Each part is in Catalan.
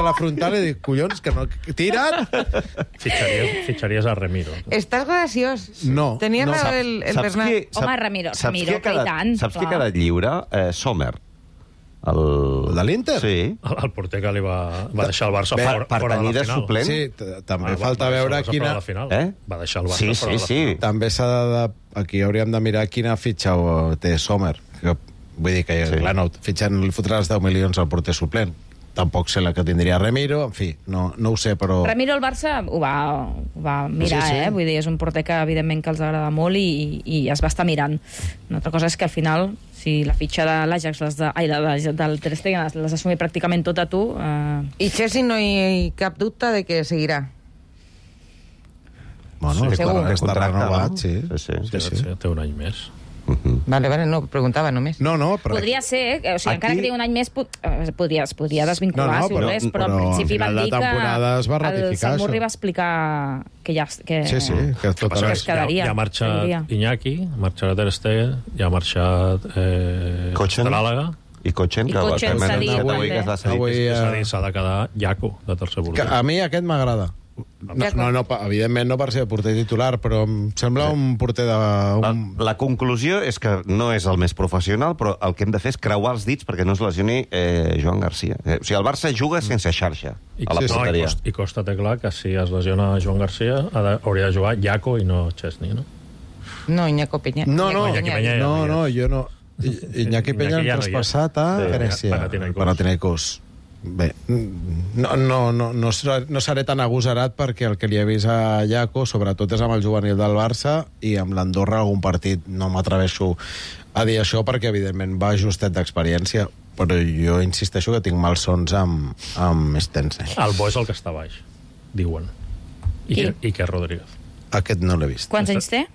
a la frontal i dic, collons, que no... Tira't! Fitxaries a Ramiro. Estàs graciós. No. Tenia no. raó el Bernat. Home, Ramiro, que i tant. Saps qui ha quedat lliure? Sommer. El de l'Inter? Sí. El porter que li va deixar el Barça fora Per de tenir la de final. suplent. Sí, també falta veure quina... Va deixar el Barça fora de la final. També s'ha de... Aquí hauríem de mirar quina fitxa té Sommer. Vull dir que, clar, no, fitxant li fotràs 10 milions al porter suplent. Tampoc sé la que tindria Ramiro, en fi, no ho sé, però... Ramiro el Barça ho va mirar, Sí. Vull dir, és un porter que evidentment que els agrada molt i es va estar mirant. Una altra cosa és que al final, si la fitxa de l'Ajax, del Ter Stegen, les assumir pràcticament tot a tu... I Chelsea no hi ha cap dubte de que seguirà. Bueno, segur. està renovat, sí. Té un any més. Vale, no, preguntava només. No, però... Podria ser, o sigui, encara que tingui un any més, es podria desvincular, si volés, però en principi van dir que el Samurri va explicar que ja... Sí, que tot es quedaria. Ja ha marxat Iñaki, ha marxat Ter Stegen, ja ha marxat Tràlaga. I Cotxen, que s'ha dit. S'ha de quedar Jaco, de tercer porter. A mi aquest m'agrada. No, evidentment no per ser porter titular, però em sembla un porter de... La conclusió és que no és el més professional, però el que hem de fer és creuar els dits perquè no es lesioni Joan Garcia. O sigui, el Barça juga sense xarxa a la porteria. I costa té clar que si es lesiona Joan Garcia hauria de jugar Jaco i no Chesney, no? No, Iñaki Peña. No, jo no. Iñaki Peña han traspassat a Grècia, Panathinaikos. Bé, no seré tan agosarat perquè el que li he vist a Jaco, sobretot és amb el juvenil del Barça i amb l'Andorra algun partit. No m'atreveixo a dir això perquè, evidentment, va justet d'experiència, però jo insisteixo que tinc malsons amb Stensen. El bo és el que està baix, diuen. I que Rodríguez. Aquest no l'he vist. Quants anys té?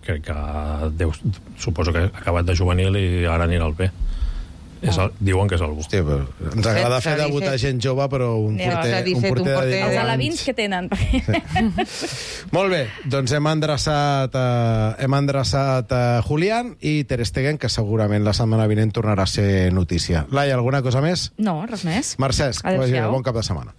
Crec que suposo que ha acabat de juvenil i ara anirà al B. Diuen que és algú. Hòstia, però ens agrada fer debutar gent jove, però un porter de 10 anys... Els alevins que tenen. Molt bé, doncs hem endreçat Julián i Ter Stegen, que segurament la setmana vinent tornarà a ser notícia. Laia, alguna cosa més? No, res més. Mercè, bon cap de setmana.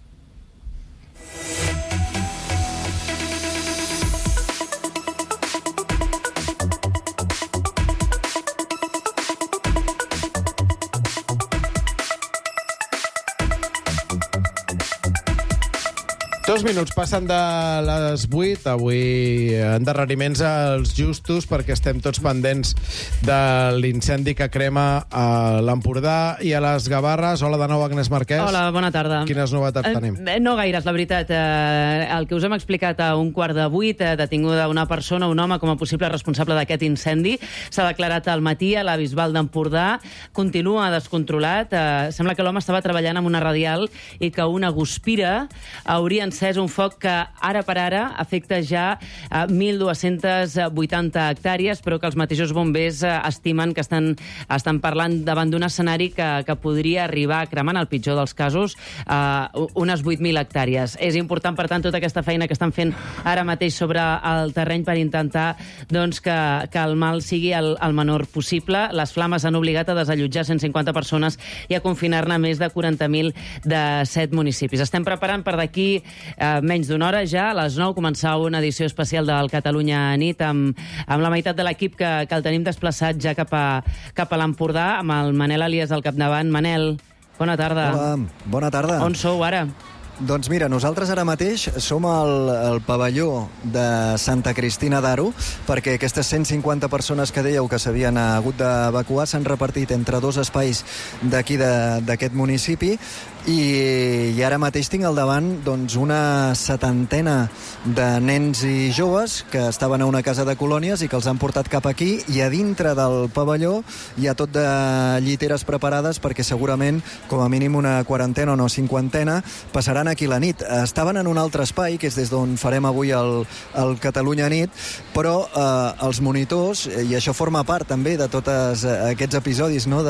Dos minuts passen de les 8. Avui endarreriments als justos perquè estem tots pendents de l'incendi que crema a l'Empordà i a les Gavarres. Hola de nou, Agnès Marquès. Hola, bona tarda. Quines novetats tenim? No gaires, la veritat. El que us hem explicat a 7:15, detinguda una persona, un home, com a possible responsable d'aquest incendi. S'ha declarat al matí a la Bisbal d'Empordà. Continua descontrolat. Sembla que l'home estava treballant amb una radial i que una guspira hauria encès un foc que ara per ara afecta ja 1.280 hectàrees, però que els mateixos bombers estimen que estan parlant davant d'un escenari que podria arribar a cremar, en el pitjor dels casos, unes 8.000 hectàrees. És important, per tant, tota aquesta feina que estan fent ara mateix sobre el terreny per intentar que el mal sigui el menor possible. Les flames han obligat a desallotjar 150 persones i a confinar-ne més de 40.000 de 7 municipis. Estem preparant per d'aquí menys d'una hora ja, a les 9, començar una edició especial del Catalunya Nit amb la meitat de l'equip que el tenim desplaçat ja cap a l'Empordà, amb el Manel Elias al capdavant. Manel, bona tarda. Hola, bona tarda. On sou ara? Doncs mira, nosaltres ara mateix som al pavelló de Santa Cristina d'Aro, perquè aquestes 150 persones que dèieu que s'havien hagut d'evacuar s'han repartit entre dos espais d'aquí d'aquest municipi i ara mateix tinc al davant una 70ena de nens i joves que estaven a una casa de colònies i que els han portat cap aquí, i a dintre del pavelló hi ha tot de lliteres preparades perquè segurament com a mínim una quarantena o una cinquantena passaran aquí la nit. Estaven en un altre espai, que és des d'on farem avui el Catalunya Nit, però els monitors, i això forma part també de tots aquests episodis, no?,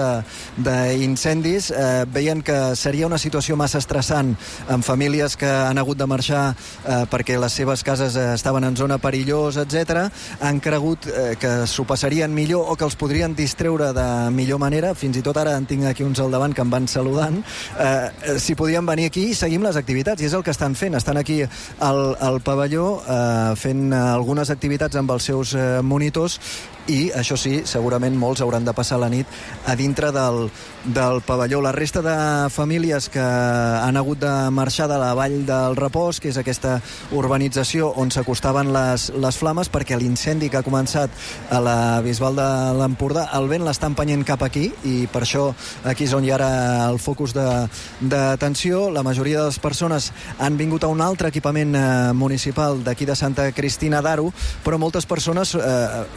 d'incendis, veien que seria una situació massa estressant amb famílies que han hagut de marxar perquè les seves cases estaven en zona perillosa, etc. Han cregut que s'ho passarien millor o que els podrien distreure de millor manera. Fins i tot ara en tinc aquí uns al davant que em van saludant. Si podien venir aquí i seguim les activitats, i és el que estan fent. Estan aquí al pavelló fent algunes activitats amb els seus monitors, i, això sí, segurament molts hauran de passar la nit a dintre del pavelló. La resta de famílies que han hagut de marxar de la Vall del Repòs, que és aquesta urbanització on s'acostaven les flames, perquè l'incendi que ha començat a la Bisbal de l'Empordà, el vent l'està empenyent cap aquí, i per això aquí és on hi ha ara el focus d'atenció. La majoria de les persones han vingut a un altre equipament municipal d'aquí de Santa Cristina d'Aro, però moltes persones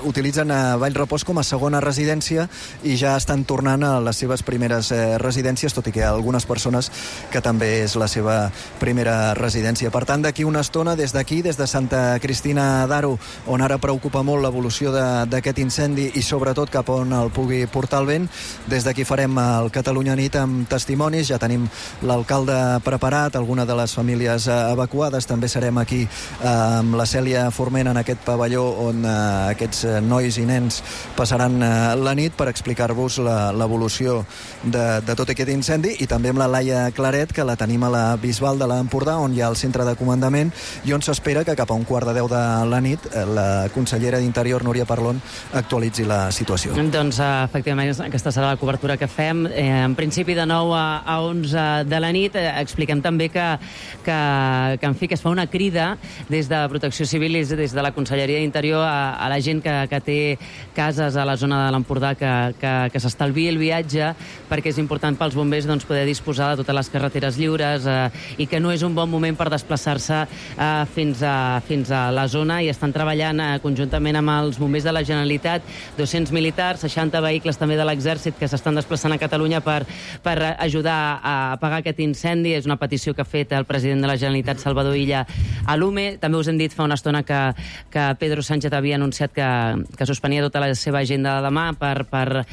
utilitzen a Vallrepòs com a segona residència i ja estan tornant a les seves primeres residències, tot i que hi ha algunes persones que també és la seva primera residència. Per tant, d'aquí una estona, des d'aquí, des de Santa Cristina d'Aro, on ara preocupa molt l'evolució d'aquest incendi i sobretot cap on el pugui portar el vent, des d'aquí farem el Catalunya Nit amb testimonis. Ja tenim l'alcalde preparat, alguna de les famílies evacuades. També serem aquí amb la Cèlia Forment en aquest pavelló on aquests nois i nens passaran la nit per explicar-vos l'evolució de tot aquest incendi, i també amb la Laia Claret, que la tenim a la Bisbal de l'Empordà, on hi ha el centre de comandament i on s'espera que cap a 1:15 de la nit la consellera d'Interior, Núria Parlon, actualitzi la situació. Doncs, efectivament, aquesta serà la cobertura que fem. En principi, de 9 a 11 de la nit. Expliquem també que en fi, que es fa una crida des de Protecció Civil i des de la Conselleria d'Interior a la gent que té cases a la zona de l'Empordà que s'estalviï el viatge, perquè és important pels bombers poder disposar de totes les carreteres lliures i que no és un bon moment per desplaçar-se fins a la zona, i estan treballant conjuntament amb els bombers de la Generalitat, 200 militars, 60 vehicles també de l'Exèrcit que s'estan desplaçant a Catalunya per ajudar a apagar aquest incendi. És una petició que ha fet el president de la Generalitat, Salvador Illa, a l'UME. També us hem dit fa una estona que Pedro Sánchez havia anunciat que suspenia tota la seva agenda de demà per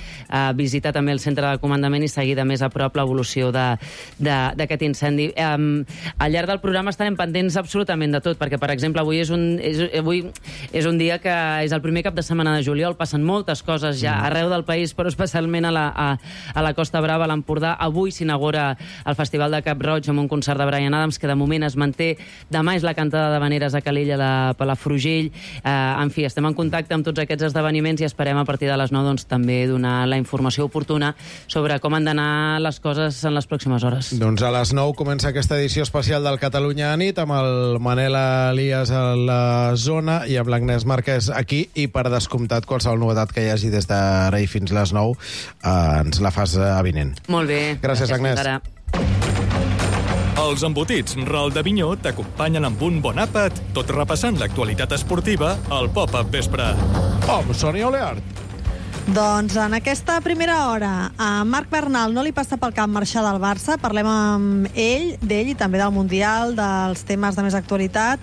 visitar també el centre de comandament i seguir de més a prop l'evolució d'aquest incendi. Al llarg del programa estarem pendents absolutament de tot, perquè, per exemple, avui és un dia que és el primer cap de setmana de juliol, passen moltes coses ja arreu del país, però especialment a la Costa Brava, a l'Empordà. Avui s'inaugura el Festival de Cap Roig amb un concert de Bryan Adams, que de moment es manté. Demà és la cantada d'Havaneres a Calella de Palafrugell. En fi, estem en contacte amb tots aquests esdeveniments i esperem a partir de les 9 també donar la informació oportuna sobre com han d'anar les coses en les pròximes hores. Doncs a les 9 comença aquesta edició especial del Catalunya Nit amb el Manel Elias a la zona i amb l'Agnès Marquès aquí, i per descomptat qualsevol novetat que hi hagi des d'ara i fins les 9 ens la fas avinent. Molt bé. Gràcies, Agnès. Els embotits Ral de Vinyó t'acompanyen amb un bon àpat, tot repassant l'actualitat esportiva al Pop-Up Vespre. Sonia Oleart. Doncs en aquesta primera hora a Marc Bernal no li passa pel cap marxar del Barça. Parlem amb d'ell i també del Mundial, dels temes de més actualitat.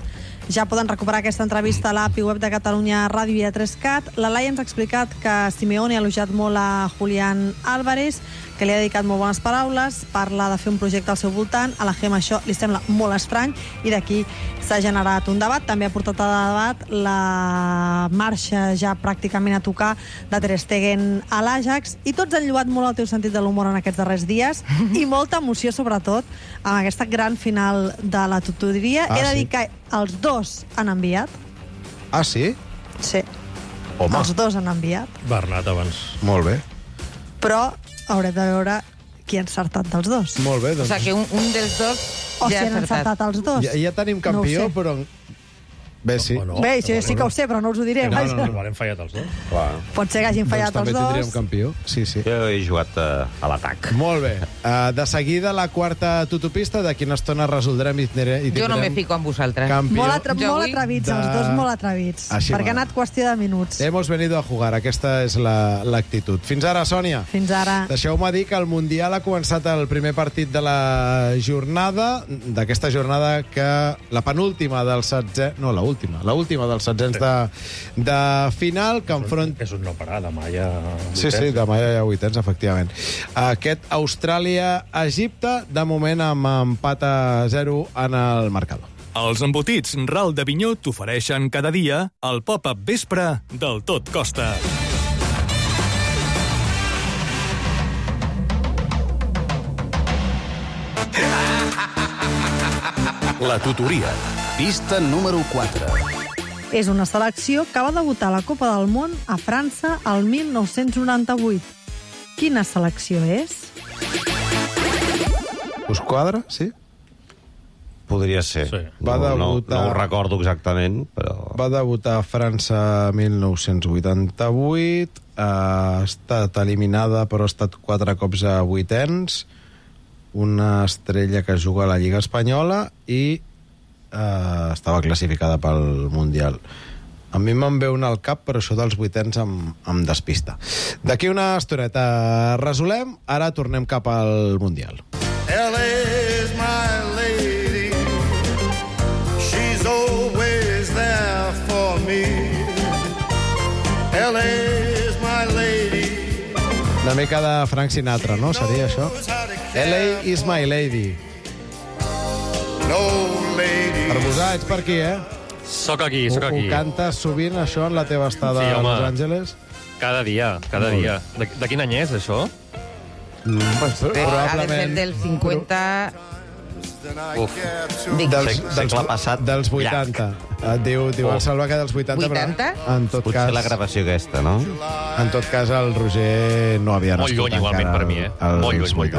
Ja poden recuperar aquesta entrevista a l'API web de Catalunya Ràdio i a 3CAT. La Laia ens ha explicat que Simeone ha elogiat molt a Julián Álvarez, que li ha dedicat molt bones paraules, parla de fer un projecte al seu voltant. A la Gemma això li sembla molt estrany i d'aquí s'ha generat un debat. També ha portat a debat la marxa ja pràcticament a tocar de Ter Stegen a l'Ajax, i tots han lloat molt el teu sentit de l'humor en aquests darrers dies i molta emoció, sobretot, amb aquesta gran final de la tutoria. He de dir que els dos han enviat. Ah, sí? Sí. Home. Els dos han enviat. Bernat abans. Molt bé. Però haurem de veure qui ha encertat dels dos. Molt bé, doncs. O sigui que un dels dos o ja si han encertat els dos. Ja tenim campió, no però Bé, sí. Bé, sí que ho sé, però no us ho diré. No, igual hem fallat els dos. Pot ser que hagin fallat els dos. També tindríem campió. Sí. Jo he jugat a l'atac. Molt bé. De seguida, la quarta tutopista, d'aquí una estona resoldrem i tindrem... Jo no me fico amb vosaltres. Molt atrevits, els dos molt atrevits. Perquè ha anat qüestió de minuts. Hemos venido a jugar, aquesta és l'actitud. Fins ara, Sònia. Fins ara. Deixeu-me dir que el Mundial ha començat el primer partit de la jornada, d'aquesta jornada que la penúltima del setze... No, l'última dels setzents de final, que enfronta... És un no parar, demà ja... Sí, demà ja hi ha vuitens, efectivament. Aquest Austràlia-Egipte, de moment amb empat a 0 en el marcador. Els embotits Ral d'Avinyó t'ofereixen cada dia el pop-up vespre del Tot Costa. La tutoria. Pista número 4. És una selecció que va debutar a la Copa del Món a França el 1998. Quina selecció és? Us quadra, sí? Podria ser. Sí. No ho recordo exactament, però... Va debutar a França 1988, ha estat eliminada, però ha estat 4 cops a vuitens, una estrella que juga a la Lliga Espanyola i estava classificada pel Mundial. A mi me'n ve una al cap, però això dels vuitens em despista. D'aquí una estoneta resolem, ara tornem cap al Mundial. LA is my lady, she's always there for me. LA is my lady. Una mica de Frank Sinatra, no? Seria això? LA is my lady. No lady. Arbusà, ets per aquí, eh? Soc aquí. Ho cantes sovint, això, en la teva estada a Los Angeles? Cada dia. De quin any és, això? Probablement... Ha de ser del 50... Segle passat. Dels 80. Diu el Salva que dels 80. 80? En tot potser cas, la gravació aquesta, no? En tot cas, el Roger no havia nascut molt lluny, igualment, per mi, Molt lluny.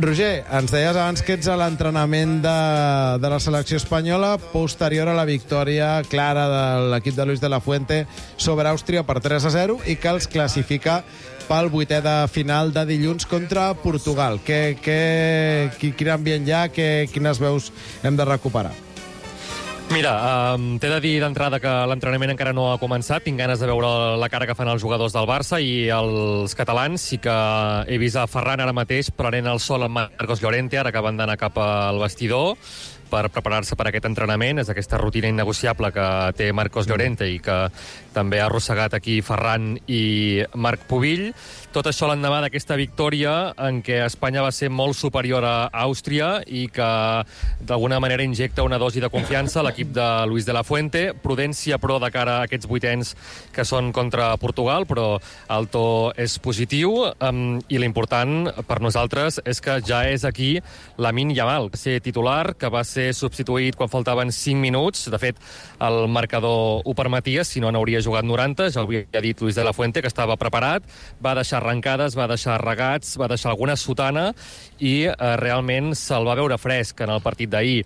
Roger, ens deies abans que ets a l'entrenament de la selecció espanyola posterior a la victòria clara de l'equip de Luis de la Fuente sobre Àustria per 3-0 i que els classifica pel vuitè de final de dilluns contra Portugal. Quin ambient hi ha? Quines veus hem de recuperar? Mira, t'he de dir d'entrada que l'entrenament encara no ha començat. Tinc ganes de veure la cara que fan els jugadors del Barça i els catalans. Sí que he vist a Ferran ara mateix prenent el sol amb Marcos Llorente, ara que van d'anar cap al vestidor per preparar-se per aquest entrenament. És aquesta rutina innegociable que té Marcos Llorente i que també ha arrossegat aquí Ferran i Marc Pubill. Tot això l'endemà d'aquesta victòria en què Espanya va ser molt superior a Àustria i que d'alguna manera injecta una dosi de confiança a l'equip de Luis de la Fuente. Prudència, però, de cara a aquests vuitens que són contra Portugal, però el to és positiu i l'important per nosaltres és que ja és aquí Lamine Yamal, que va ser titular, que va ser substituït quan faltaven 5 minuts. De fet, el marcador ho permetia, si no n'hauria jugat 90. Ja ho havia dit Luis de la Fuente, que estava preparat. Va deixar arrencades, va deixar regats, va deixar alguna sotana i realment se'l va veure fresc en el partit d'ahir.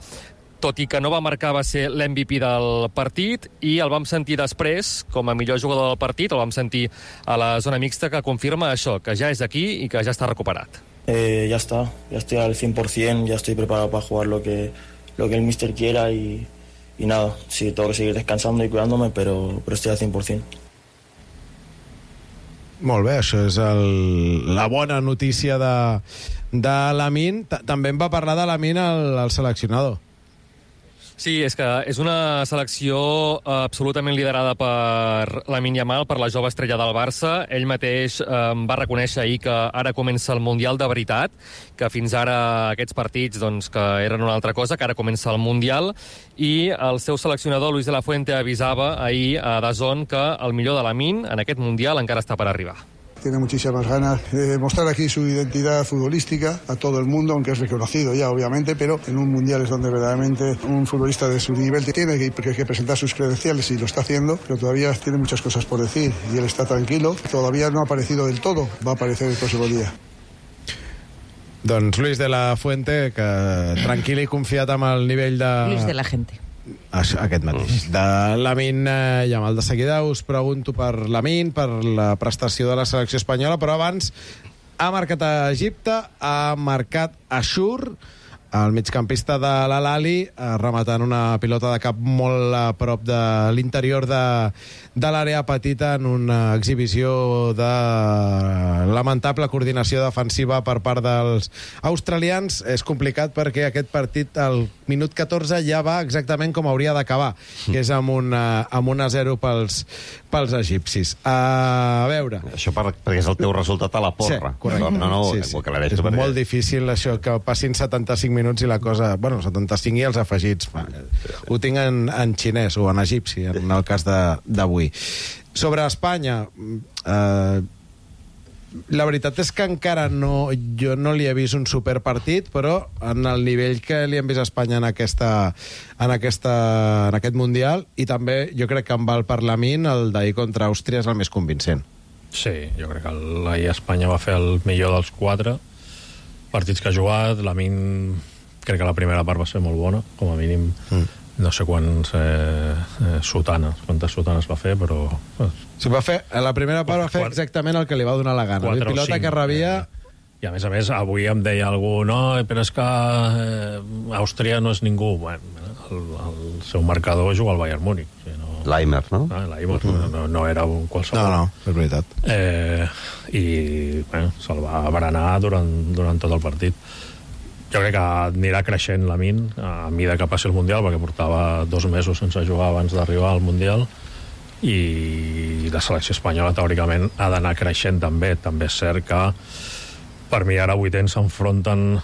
Tot i que no va marcar, va ser l'MVP del partit i el vam sentir després, com a millor jugador del partit, el vam sentir a la zona mixta, que confirma això, que ja és aquí i que ja està recuperat. Ya estoy al 100%, ya estoy preparado para jugar lo que el míster quiera y nada, sí, tengo que seguir descansando y cuidándome, pero estoy al 100%. Molt bé, això és la bona notícia de Lamine. També en va parlar de Lamine el seleccionador. Sí, és que és una selecció absolutament liderada per Lamine Yamal, per la jove estrella del Barça. Ell mateix va reconèixer ahir que ara comença el Mundial de veritat, que fins ara aquests partits doncs, que eren una altra cosa, que ara comença el Mundial, i el seu seleccionador, Luis de la Fuente, avisava ahir a DAZN que el millor de Lamine en aquest Mundial encara està per arribar. Tiene muchísimas ganas de mostrar aquí su identidad futbolística a todo el mundo, aunque es reconocido ya, obviamente, pero en un mundial es donde verdaderamente un futbolista de su nivel tiene que presentar sus credenciales y lo está haciendo, pero todavía tiene muchas cosas por decir y él está tranquilo. Todavía no ha aparecido del todo, va a aparecer el próximo día. Doncs Luis de la Fuente, que tranquil i confiat amb el nivell de... Luis de la Gente. aquest mateix. De Lamine Yamal. De seguida us pregunto per Lamine, per la prestació de la selecció espanyola, però abans ha marcat a Egipte, ha marcat a Shur, el migcampista de l'Al-Ahly, rematant una pilota de cap molt a prop de l'interior de l'àrea petita en una exhibició de lamentable coordinació defensiva per part dels australians. És complicat perquè aquest partit al minut 14 ja va exactament com hauria d'acabar, que és amb un 1-0 pels egipcis. A veure... Això perquè és el teu resultat a la porra. Sí, correcte. És molt difícil això, que passin 75 minuts i la cosa... Bueno, 75 i els afegits. Ho tinc en xinès o en egipci, en el cas d'avui. Sobre Espanya, la veritat és que encara jo no li he vist un superpartit, però en el nivell que li hem vist a Espanya en aquest Mundial, i també jo crec que amb el Parlament, el d'ahir contra Àustria és el més convincent. Sí, jo crec que l'ahir Espanya va fer el millor dels 4 partits que ha jugat. Lamine, crec que la primera part va ser molt bona, com a mínim. No sé quantes sotanes va fer, però... Sí, la primera part va fer exactament el que li va donar la gana. La pilota que rebia... I a més, avui em deia algú, no, però és que Àustria no és ningú. Bueno, el seu marcador juga al Bayern Múnich. L'Aimer, no? L'Aimer, no era un qualsevol. No, és veritat. I se'l va berenar durant tot el partit. Jo crec que anirà creixent Lamine a mida que passi el Mundial, perquè portava 2 mesos sense jugar abans d'arribar al Mundial, i la selecció espanyola teòricament ha d'anar creixent també. També és cert que per mi ara 8ens s'enfronten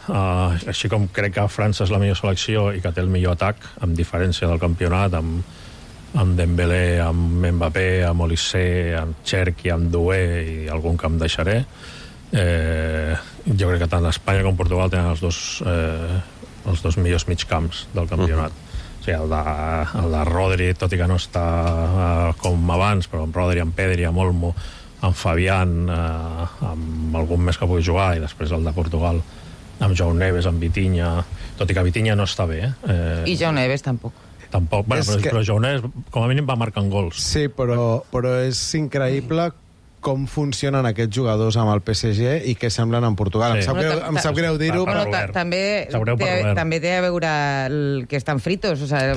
així com crec que França és la millor selecció i que té el millor atac, amb diferència del campionat, amb Dembélé, amb Mbappé, amb Olissé, amb Cherki, amb Doué i algun que em deixaré. Jo crec que tant Espanya com Portugal tenen els dos millors migcamps del campionat. O sigui, el de Rodri, tot i que no està com abans, però amb Rodri, amb Pedri, amb Olmo, amb Fabián, amb algun més que pugui jugar, i després el de Portugal amb João Neves, amb Vitinha, tot i que Vitinha no està bé. I João Neves tampoc. Però João Neves com a mínim va marcant gols. Sí, però és increïble com funcionen aquests jugadors amb el PSG i què semblen en Portugal. Sí. Em sap greu dir-ho, però... També té a veure que estan fritos. O sigui,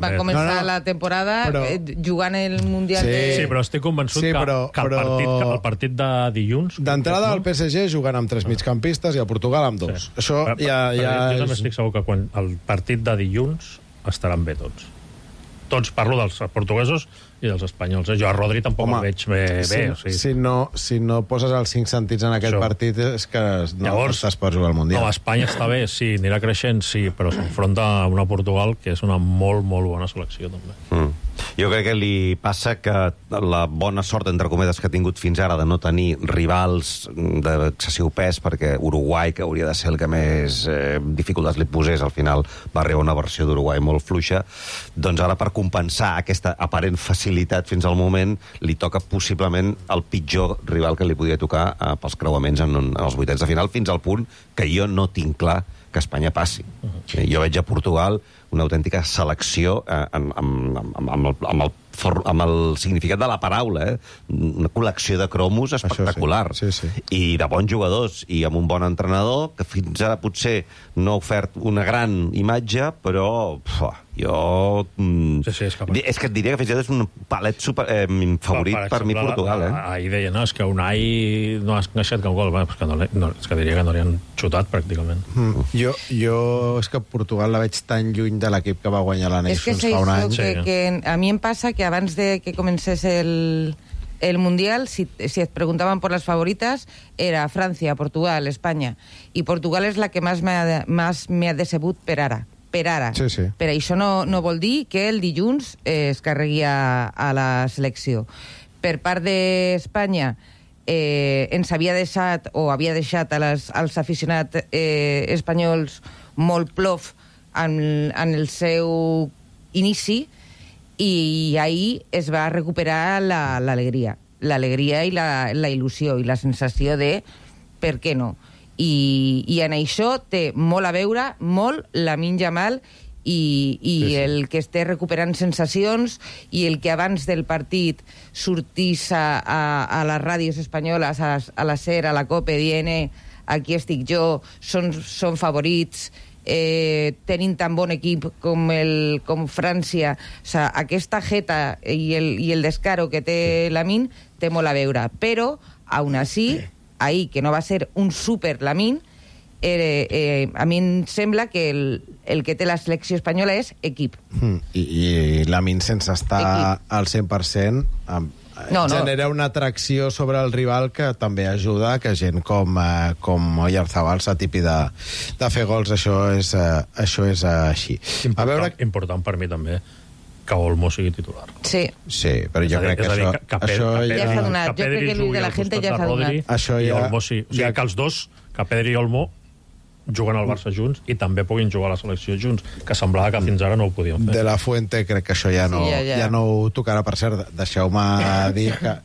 van començar la temporada jugant el Mundial de... Sí, però estic convençut que el partit de dilluns... D'entrada al PSG jugant amb 3 migcampistes i a Portugal amb 2. Això ja... Jo també estic segur que quan el partit de dilluns estaran bé tots. Tots, parlo dels portuguesos i dels espanyols. Jo a Rodri tampoc el veig bé. Si no poses els 5 sentits en aquest partit és que no estàs per jugar al Mundial. No, Espanya està bé, sí, anirà creixent, sí, però s'enfronta a una Portugal que és una molt, molt bona selecció, també. Jo crec que li passa que la bona sort, entre cometes, que ha tingut fins ara de no tenir rivals d'excessiu pes, perquè Uruguai, que hauria de ser el que més dificultats li posés, al final va arribar una versió d'Uruguai molt fluixa, doncs ara per compensar aquesta aparent facilitat fins al moment, li toca possiblement el pitjor rival que li podia tocar pels creuaments en els 8ens de final, fins al punt que jo no tinc clar que Espanya passi. Jo veig a Portugal una autèntica selecció amb el significat de la paraula, una col·lecció de cromos espectacular. I de bons jugadors, i amb un bon entrenador, que fins ara potser no ha ofert una gran imatge, però jo... És que et diria que fins ara és un palet favorit per mi Portugal. Ahir deia, no, és que Unai no ha encaixat cap gol. És que diria que no li han xutat, pràcticament. Jo és que Portugal la veig tan lluny de l'equip que va guanyar la Nations fa un any. Que a mi em passa que abans de que comencés el Mundial, si et preguntaven por las favoritas, era Francia, Portugal, Espanya. I Portugal és la que més m'ha decebut per ara. Sí. Per això no vol dir que el dilluns es carregui a la selecció. Per part d'Espanya, ens havia deixat, o havia deixat als aficionats espanyols molt plof en el seu inici, i ahir es va recuperar l'alegria i la il·lusió i la sensació de per què no. I en això té molt a veure, molt, Lamine Yamal i el que esté recuperant sensacions i el que abans del partit sortís a les ràdios espanyoles, a la SER, a la COPE, dient aquí estic jo, són favorits, tenint tan bon equip com França. O sigui, aquesta jeta i el descaro que té Lamine té molt a veure, però aún así, ahir, que no va ser un super Lamine, a mi em sembla que el que té la selecció espanyola és equip. I Lamine, sense estar al 100%, genera una atracció sobre el rival que també ajuda que gent com Oyarzabal s'atipi de fer gols. Això és així. Important per mi també que Olmo sigui titular. Sí, però jo crec que això ja s'ha donat. Jo crec que el de la gent ja s'ha donat. I Olmo sí. O sigui, que els dos, que Pedri i Olmo, juguen al Barça junts i també puguin jugar a la selecció junts, que semblava que fins ara no ho podien fer. De la Fuente crec que això ja no ho tocarà. Per cert, deixeu-me dir que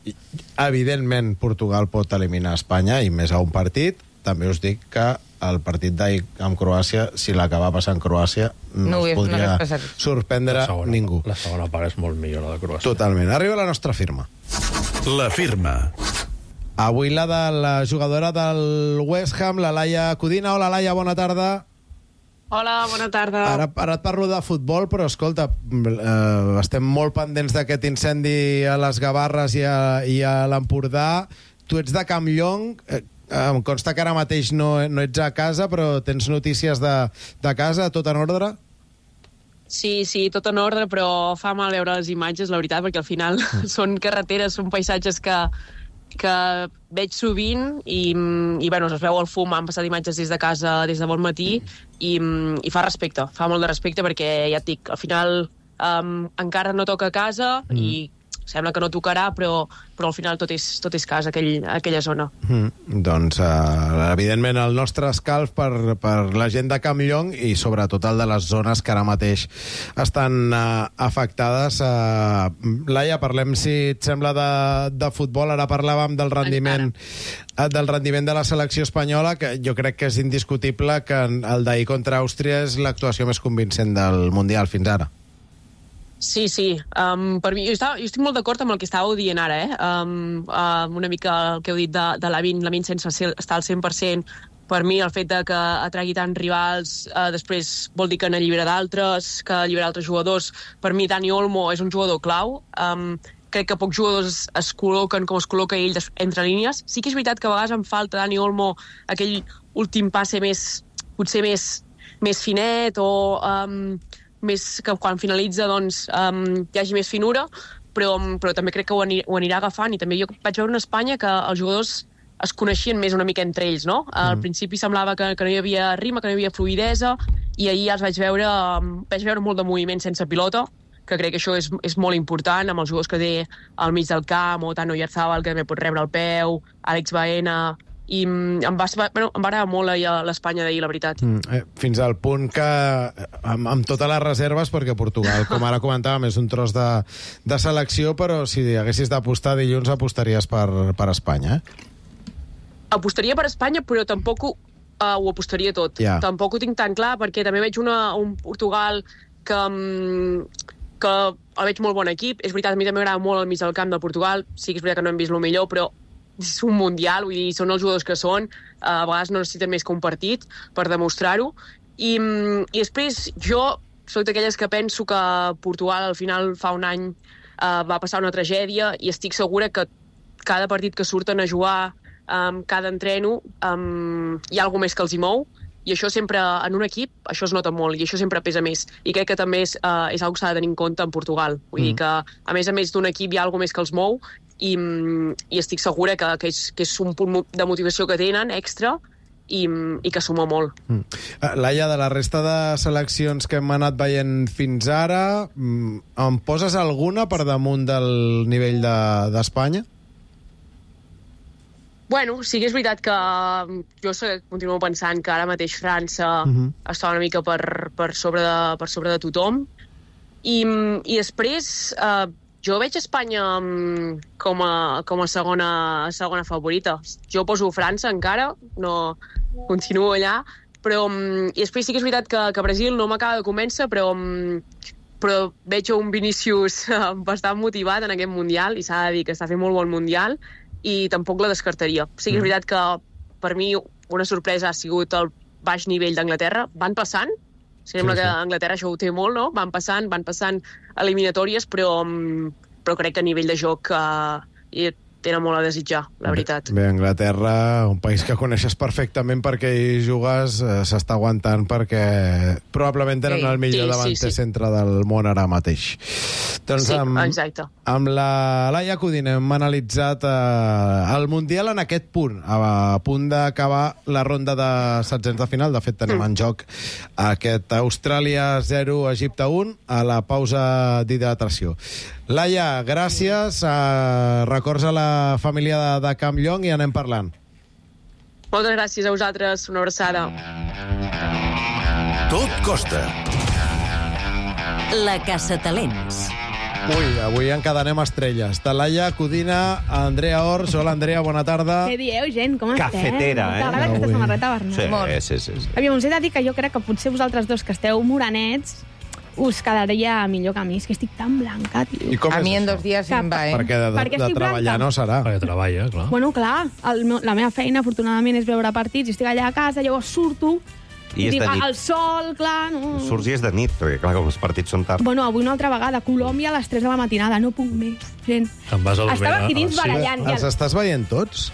evidentment Portugal pot eliminar Espanya i més a un partit. També us dic que el partit d'ahir amb Croàcia, si l'acaba passant Croàcia, no es podria sorprendre ningú. La segona part és molt millor, la de Croàcia. Totalment. Arriba la nostra firma. La firma. Avui la de la jugadora del West Ham, la Laia Codina. Hola, Laia, bona tarda. Hola, bona tarda. Ara et parlo de futbol, però escolta, estem molt pendents d'aquest incendi a les Gavarres i a l'Empordà. Tu ets de Campllong. Em consta que ara mateix no ets a casa, però tens notícies de casa, tot en ordre? Sí, tot en ordre, però fa mal veure les imatges, la veritat, perquè al final són carreteres, són paisatges que veig sovint i bueno, es veu el fum, han passat imatges des de casa des de bon matí i fa respecte, fa molt de respecte perquè ja et dic, al final encara no toca a casa i sembla que no tocarà, però al final tot és casa, aquella zona. Doncs, evidentment, el nostre escalf per la gent de Campllong i sobretot el de les zones que ara mateix estan afectades. Laia, parlem, si et sembla, de futbol. Ara parlàvem del rendiment de la selecció espanyola, que jo crec que és indiscutible que el d'ahir contra Àustria és l'actuació més convincent del Mundial fins ara. Sí. Per mi, jo estic molt d'acord amb el que estàveu dient ara, una mica el que heu dit de Lamine sense estar al 100%. Per mi, el fet que atragui tants rivals després vol dir que n'allibera d'altres, que allibera altres jugadors. Per mi, Dani Olmo és un jugador clau. Crec que pocs jugadors es col·loquen com es col·loca ell entre línies. Sí que és veritat que a vegades em falta Dani Olmo aquell últim passe potser més finet o més que quan finalitza doncs hi hagi més finura, però també crec que ho anirà agafant. I també jo vaig veure en Espanya que els jugadors es coneixien més una mica entre ells, no? Al principi semblava que no hi havia ritme, que no hi havia fluïdesa, i ahir els vaig veure molt de moviment sense pilota, que crec que això és molt important amb els jugadors que té al mig del camp, o tant Oyarzabal, que també pot rebre el peu, Àlex Baena, i em va agradar molt l'Espanya d'ahir, la veritat. Fins al punt que amb totes les reserves, perquè Portugal, com ara comentàvem, és un tros de selecció, però si haguessis d'apostar dilluns apostaries per Espanya, Apostaria per Espanya, però tampoc ho apostaria tot. Tampoc ho tinc tan clar, perquè també veig un Portugal que el veig molt bon equip. És veritat, a mi també m'agrada molt el mig del camp de Portugal. Sí que és veritat que no hem vist el millor, però és un mundial, vull dir, són els jugadors que són, a vegades no necessiten més que un partit per demostrar-ho, i després jo soc d'aquelles que penso que Portugal al final fa un any va passar una tragèdia i estic segura que cada partit que surten a jugar, cada entreno, hi ha alguna més que els hi mou, i això sempre, en un equip, això es nota molt, i això sempre pesa més. I crec que també és una cosa que s'ha de tenir en compte en Portugal. Vull dir que, a més d'un equip, hi ha alguna més que els mou, i estic segura que és un punt de motivació que tenen extra i que suma molt. Laia, de la resta de seleccions que hem anat veient fins ara, em poses alguna per damunt del nivell d'Espanya? Bueno, sí que és veritat que jo continuo pensant que ara mateix França està una mica per sobre de tothom, i després jo veig Espanya com a segona favorita. Jo poso França encara, no continuo allà, però i després sí que és veritat que Brasil no m'acaba de convèncer, però veig un Vinícius bastant motivat en aquest Mundial, i s'ha de dir que està fent molt bon Mundial, i tampoc la descartaria. Sí que és veritat que per mi una sorpresa ha sigut el baix nivell d'Anglaterra. Van passant, sembla que Anglaterra això ho té molt, no? Van passant eliminatòries, però crec que a nivell de joc tenen molt a desitjar, la veritat. Bé, Anglaterra, un país que coneixes perfectament perquè hi jugues, s'està aguantant perquè probablement tenen el millor davanter centre del món ara mateix. Doncs exacte. Amb la Laia Codina hem analitzat el Mundial en aquest punt, a punt d'acabar la ronda de setzents de final. De fet, tenim en joc aquest Austràlia 0, Egipte 1, a la pausa d'hidratació. Laia, gràcies. Records a la família de Campllong i anem parlant. Moltes gràcies a vosaltres. Una abraçada. Tot costa. La Caçatalents. Ui, avui encadenem estrelles. Laia Codina, Andrea Ors. Hola, Andrea, bona tarda. Què dieu, gent? Com esteu? Cafetera, T'agrada aquesta samarreta, Bernat? Sí. Aviam, us he de dir que jo crec que potser vosaltres dos que esteu morenets us quedaria millor que a mi. És que estic tan blanca, tio. A mi en 2 dies em va, Perquè de treballar no serà. Perquè treballa, clar. Bueno, clar, la meva feina, afortunadament, és veure partits, i estic allà a casa, llavors surto, I és de nit. el sol, clar... No. Surts i és de nit, perquè clar, com els partits són tard. Bueno, avui una altra vegada, Colòmbia a les 3 de la matinada, no puc més, gent. Te'n vas a dormir. Estava aquí dins barallant. Els estàs veient tots?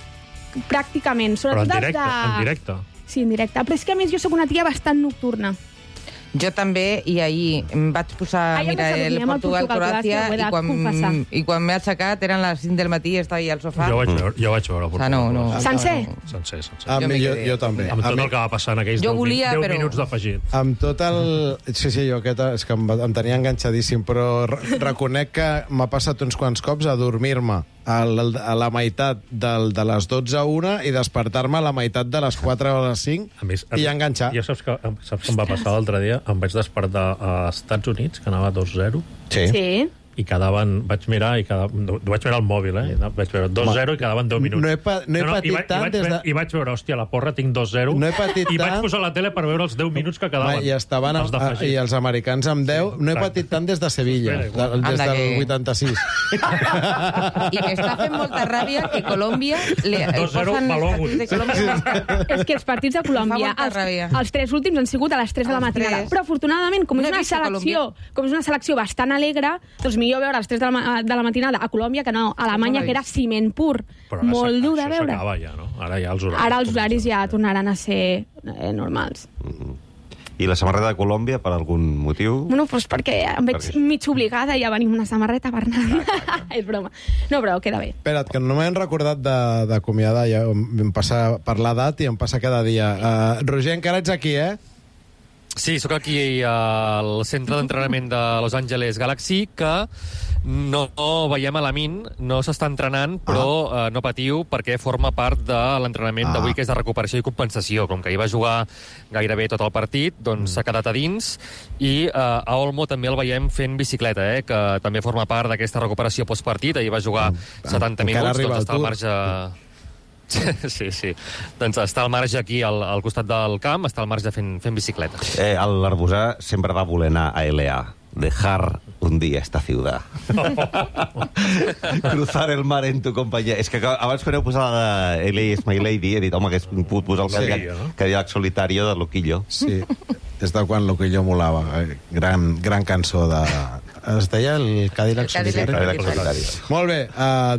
Pràcticament, Però sobretot en directe? Sí, en directe. Però és que, a més, jo sóc una tia bastant nocturna. Jo també, i ahir em vaig posar a mirar el Portugal-Croàcia i quan m'he aixecat eren les 5 del matí i estava allà al sofà. Jo vaig veure el Portugal. Sencer? Sencer. Jo també. Amb tot el que va passar en aquells 10 minuts d'afegit. Amb tot el... Sí, jo és que em tenia enganxadíssim, però reconec que m'ha passat uns quants cops a dormir-me a la meitat de les 12 a 1 i despertar-me a la meitat de les 4 o les 5 i enganxar. Ja saps què em va passar l'altre dia? Em vaig despertar als Estats Units, que anava 2-0. Sí. I quedaven... Vaig mirar al mòbil, Vaig veure 2-0 i quedaven 10 minuts. No he patit tant des de... I vaig veure, hòstia, la porra, tinc 2-0. No he patit tant... I vaig posar la tele per veure els 10 minuts que quedaven. I els americans amb 10. No he patit tant des de Sevilla, des del 86. I m'està fent molta ràbia que Colòmbia... 2-0 malògut. És que els partits de Colòmbia, els 3 últims han sigut a les 3 de la matinada. Però, afortunadament, com és una selecció bastant alegre, doncs millor veure a les 3 de la matinada a Colòmbia que no a Alemanya, que era ciment pur. Molt dur de veure. Això s'acaba ja, no? Ara els horaris ja tornaran a ser normals. I la samarreta de Colòmbia, per algun motiu? Bueno, doncs perquè em veig mig obligada i ja venim una samarreta, Bernat. És broma. No, però queda bé. Espera't, que no m'he recordat d'acomiadar. Ja em passa per l'edat i em passa cada dia. Roger, encara ets aquí, Sí, sóc aquí al centre d'entrenament de Los Angeles Galaxy, que no veiem a Lamin, no s'està entrenant, però no patiu, perquè forma part de l'entrenament d'avui, que és de recuperació i compensació. Com que hi va jugar gairebé tot el partit, doncs s'ha quedat a dins, i a Olmo també el veiem fent bicicleta, que també forma part d'aquesta recuperació postpartit. Ahir va jugar 70 minuts, doncs està al marge... Sí. Doncs està al marge aquí, al costat del camp, està al marge fent bicicleta. L'Arbusà sempre va voler anar a LA. Dejar un día esta ciudad. Cruzar el mar en tu compañía. És que abans quan heu posat LA is my lady, he dit, home, que he pogut posar el Cadillac Solitario de Loquillo. Sí, és de quan Loquillo molava. Gran cançó de... Es deia el Cadillac Solitario. Molt bé,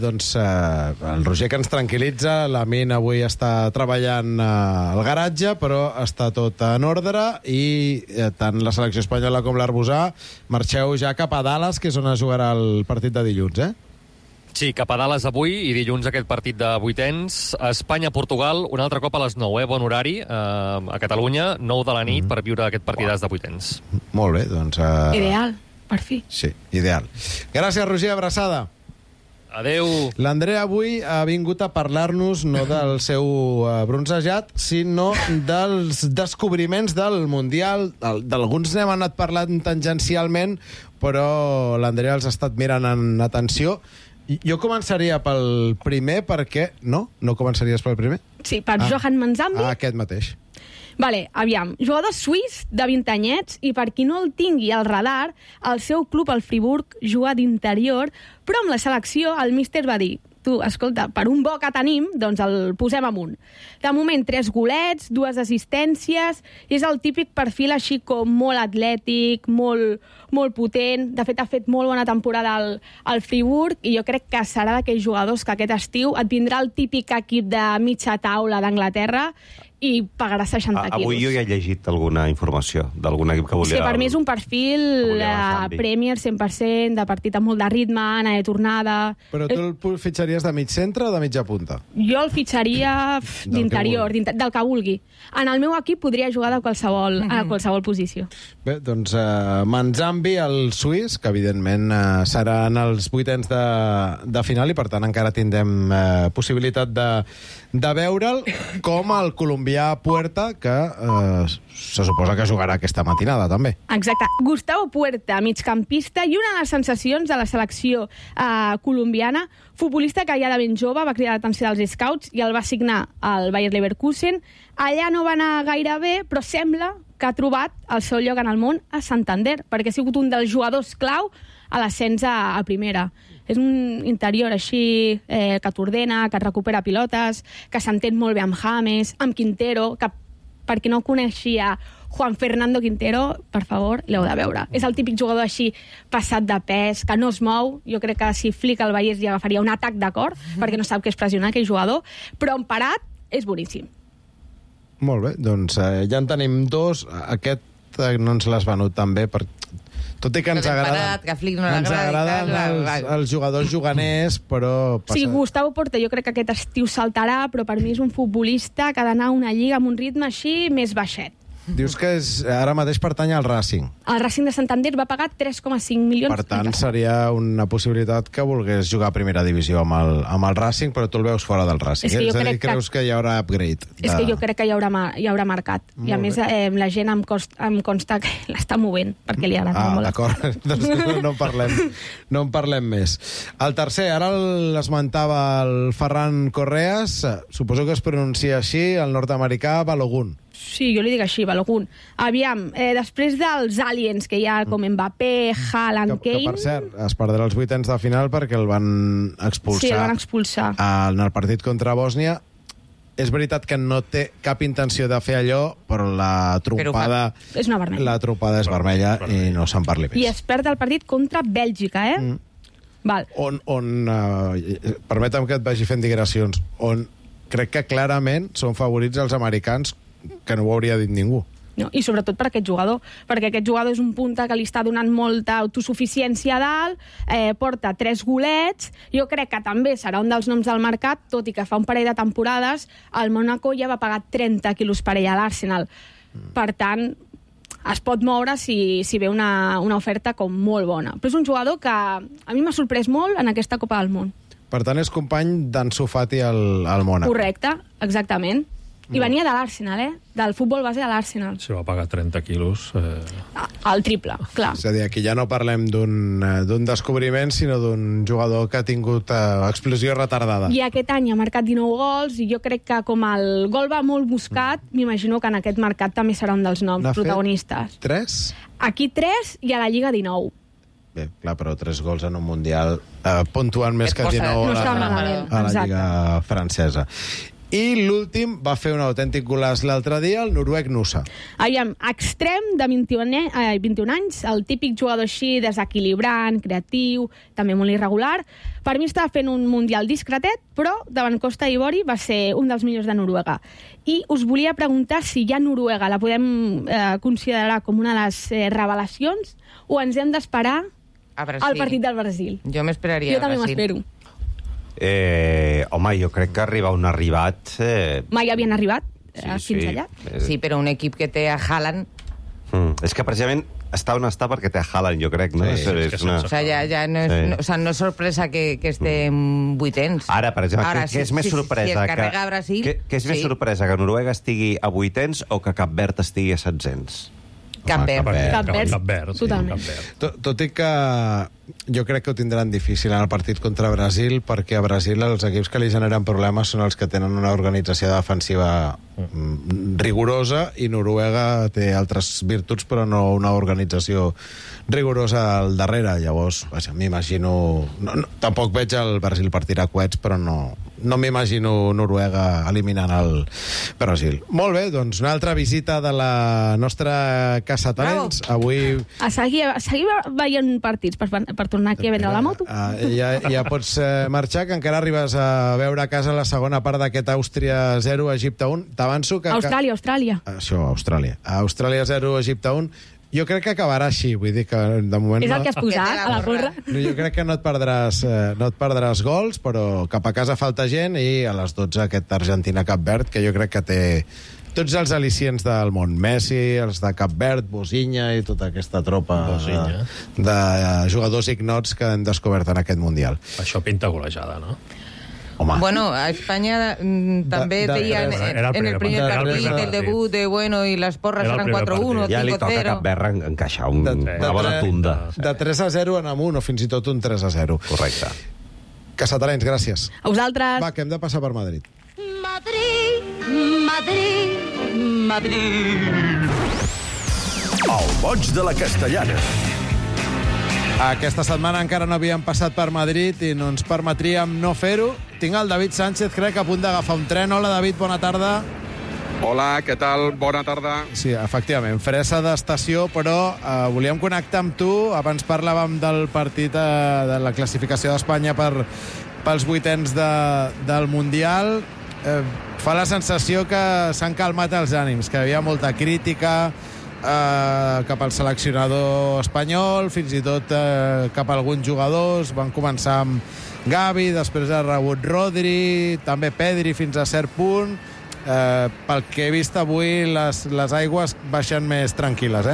doncs el Roger, que ens tranquil·litza. Lamin avui està treballant al garatge, però està tot en ordre, i tant la selecció espanyola com l'Arbusà marxeu ja cap a Dallas, que és on es jugarà el partit de dilluns, Sí, cap a Dallas avui, i dilluns aquest partit de vuitens. Espanya-Portugal, un altre cop a les 9, bon horari, a Catalunya, 9 de la nit, per viure aquest partidàs de vuitens. Molt bé, doncs... Ideal, per fi. Sí, ideal. Gràcies, Roger, abraçada. Adeu. L'Andrea avui ha vingut a parlar-nos no del seu bronzejat, sinó dels descobriments del Mundial. D'alguns n'hem anat parlant tangencialment, però l'Andrea els ha estat mirant en atenció. Jo començaria pel primer, perquè... No començaries pel primer? Sí, per Johan Manzambi. Aquest mateix. Vale, aviam. Jugador suís de 20 anyets i per qui no el tingui al radar, el seu club, el Friburg, juga d'interior, però amb la selecció el míster va dir tu, escolta, per un bo que tenim, doncs el posem amunt. De moment, 3 golets, 2 assistències, i és el típic perfil així com molt atlètic, molt potent. De fet, ha fet molt bona temporada al Friburg, i jo crec que serà d'aquells jugadors que aquest estiu et vindrà el típic equip de mitja taula d'Anglaterra i pagarà 60 quilos. Avui jo ja he llegit alguna informació d'algun equip que volia... Sí, per mi és un perfil Premier 100%, de partit amb molt de ritme, anar de tornada... Però tu el fitxaries de mig centre o de mitja punta? Jo el fitxaria d'interior, del que vulgui. En el meu equip podria jugar a qualsevol posició. Bé, doncs Manzambi, el suís, que evidentment serà en els 8ens de final i per tant encara tindrem possibilitat de veure'l, com el colombià Puerta, que se suposa que jugarà aquesta matinada, també. Exacte. Gustavo Puerta, migcampista i una de les sensacions de la selecció colombiana, futbolista que ja de ben jove va cridar l'atenció dels scouts i el va signar al Bayer Leverkusen. Allà no va anar gaire bé, però sembla que ha trobat el seu lloc en el món a Santander, perquè ha sigut un dels jugadors clau a l'ascens a primera. És un interior així que t'ordena, que et recupera pilotes, que s'entén molt bé amb James, amb Quintero, que per qui no coneixia Juan Fernando Quintero, per favor, l'heu de veure. És el típic jugador així passat de pes, que no es mou. Jo crec que si Flick el veiés ja agafaria un atac de cor, perquè no sap què és pressionar aquell jugador, però en parat és boníssim. Molt bé, doncs ja en tenim 2. Aquest no ens l'has venut tan bé, tot i que ens agraden els jugadors juganers, però... Sí, Gustavo Puerta jo crec que aquest estiu saltarà, però per mi és un futbolista que ha d'anar a una lliga amb un ritme així més baixet. Dius que ara mateix pertany al Racing. El Racing de Santander va pagar 3,5 milions. Per tant, seria una possibilitat que volgués jugar a primera divisió amb el Racing, però tu el veus fora del Racing. És a dir, creus que hi haurà upgrade? És que jo crec que hi haurà mercat. I a més, la gent em consta que l'està movent, perquè li agrada molt. D'acord, doncs no en parlem més. El tercer, ara l'esmentava el Ferran Correas, suposo que es pronuncia així, el nord-americà Balogun. Sí, jo li dic així, Balogun. Aviam, després dels aliens que hi ha com Mbappé, Haaland, Kane... Que, per cert, es perdrà els 8ens de final perquè el van expulsar. Sí, el van expulsar. En el partit contra Bòsnia. És veritat que no té cap intenció de fer allò, però la trompada... És una vermella. La trompada és vermella i no se'n parli més. I es perd el partit contra Bèlgica, Val. Permetem que et vagi fent digressions, on crec que clarament són favorits els americans, que no ho hauria dit ningú. No, i sobretot per aquest jugador, perquè aquest jugador és un punta que li està donant molta autosuficiència a dalt, porta 3 golets, jo crec que també serà un dels noms del mercat, tot i que fa un parell de temporades el Mónaco ja va pagar 30 quilos per ell a l'Arsenal. Per tant, es pot moure si ve una oferta com molt bona. Però és un jugador que a mi m'ha sorprès molt en aquesta Copa del Món. Per tant, és company d'Ansu Fati al Mónaco. Correcte, exactament. I venia de l'Arsenal, del futbol base de l'Arsenal. Si va pagar 30 quilos... El triple, clar. És a dir, aquí ja no parlem d'un descobriment, sinó d'un jugador que ha tingut explosió retardada. I aquest any ha marcat 19 gols, i jo crec que com el gol va molt buscat, m'imagino que en aquest mercat també serà un dels noms protagonistes. 3? Aquí 3 i a la Lliga 19. Bé, clar, però 3 gols en un Mundial puntuant més que 19 a la Lliga francesa. I l'últim va fer un autèntic golaç l'altre dia, el noruec Nusa. Aviam, extrem de 21 anys, el típic jugador així desequilibrant, creatiu, també molt irregular. Per mi estava fent un mundial discretet, però davant Costa d'Ivori va ser un dels millors de Noruega. I us volia preguntar si ja Noruega la podem considerar com una de les revelacions o ens hem d'esperar al partit del Brasil. Jo m'esperaria al Brasil. Jo també m'espero. Home, jo crec que on ha arribat... Mai havien arribat fins allà? Sí, però un equip que té a Haaland... És que precisament està on està perquè té a Haaland, jo crec, no? O sigui, no és sorpresa que estem 8ens. Ara, per exemple, què és més sorpresa? Què és més sorpresa, que Noruega estigui a 8ens o que Cap Verd estigui a 700? Cap Verd, totalment. Tot i que jo crec que ho tindran difícil en el partit contra Brasil, perquè a Brasil els equips que li generen problemes són els que tenen una organització defensiva rigorosa, i Noruega té altres virtuts però no una organització rigorosa al darrere. Llavors, m'imagino... Tampoc veig el Brasil per tirar coets, però no m'imagino Noruega eliminant el Brasil. Molt bé, doncs una altra visita de la nostra Casa Talents. Avui... A seguir veient partits per tornar aquí a vendre la moto. Ja pots marxar, que encara arribes a veure a casa la segona part d'aquest Àustria 0, Egipte 1. T'avanço que... Austràlia. Això, Austràlia. Austràlia 0, Egipte 1. Jo crec que acabarà així, vull dir que de moment... És el que has posat a la porra. Jo crec que no et perdràs gols, però cap a casa falta gent, i a les 12 aquest Argentina-Cap Verd, que jo crec que té tots els al·licients del món. Messi, els de Cap Verd, Bosinha i tota aquesta tropa de jugadors ignots que hem descobert en aquest Mundial. Això pinta golejada, no? Home. Bueno, a España també deien en el primer partit, el debut de bueno, i les porres eren 4-1 o 5-0. Ja li toca a Cap Verd encaixar una bona tunda. De 3-0 en amunt, o fins i tot un 3-0. Correcte. Casa Talents, gràcies. A vosaltres. Va, que hem de passar per Madrid. Madrid. El boig de la Castellana. Aquesta setmana encara no havíem passat per Madrid i no ens permetríem no fer-ho. Tinc el David Sánchez, crec, a punt d'agafar un tren. Hola, David, bona tarda. Hola, què tal? Bona tarda. Sí, efectivament, fressa d'estació, però volíem connectar amb tu. Abans parlàvem del partit de la classificació d'Espanya pels vuitens del Mundial. Fa la sensació que s'han calmat els ànims, que hi havia molta crítica cap al seleccionador espanyol, fins i tot cap a alguns jugadors. Van començar amb Gavi, després ha rebut Rodri, també Pedri fins a cert punt. Pel que he vist avui, les aigües baixen més tranquil·les,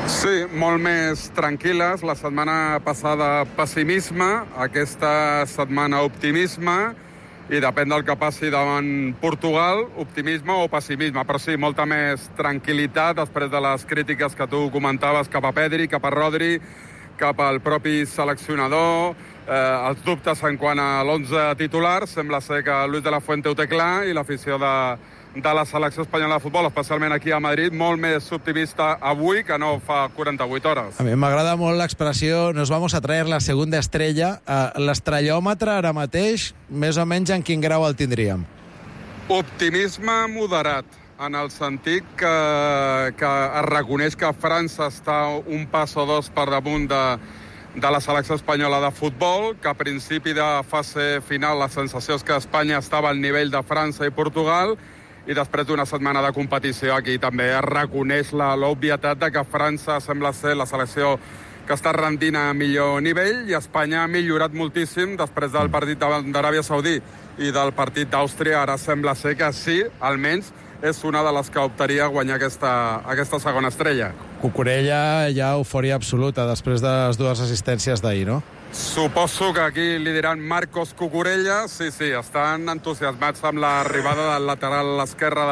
Sí, molt més tranquil·les. La setmana passada pessimisme, aquesta setmana optimisme, i depèn del que passi davant Portugal, optimisme o pessimisme, però sí, molta més tranquil·litat després de les crítiques que tu comentaves cap a Pedri, cap a Rodri, cap al propi seleccionador, els dubtes en quant a l'11 titular. Sembla ser que Luis de la Fuente ho té clar, i l'afició de la selecció espanyola de futbol, especialment aquí a Madrid, molt més optimista avui que no fa 48 hores. A mi m'agrada molt l'expressió «nos vamos a traer la segunda estrella». L'estrellòmetre ara mateix, més o menys en quin grau el tindríem? Optimisme moderat, en el sentit que es reconeix que França està un pas o dos per damunt de la selecció espanyola de futbol, que a principi de fase final la sensació és que Espanya estava al nivell de França i Portugal, i després d'una setmana de competició aquí també es reconeix l'obvietat de que França sembla ser la selecció que està rendint a millor nivell, i Espanya ha millorat moltíssim després del partit d'Aràbia Saudí i del partit d'Àustria. Ara sembla ser que sí, almenys és una de les que optaria a guanyar aquesta segona estrella. Cucurella ja eufòria absoluta després de les dues assistències d'ahir, no? Suposo que aquí li diran Marcos Cucurella. Sí, estan entusiasmats amb l'arribada del lateral esquerre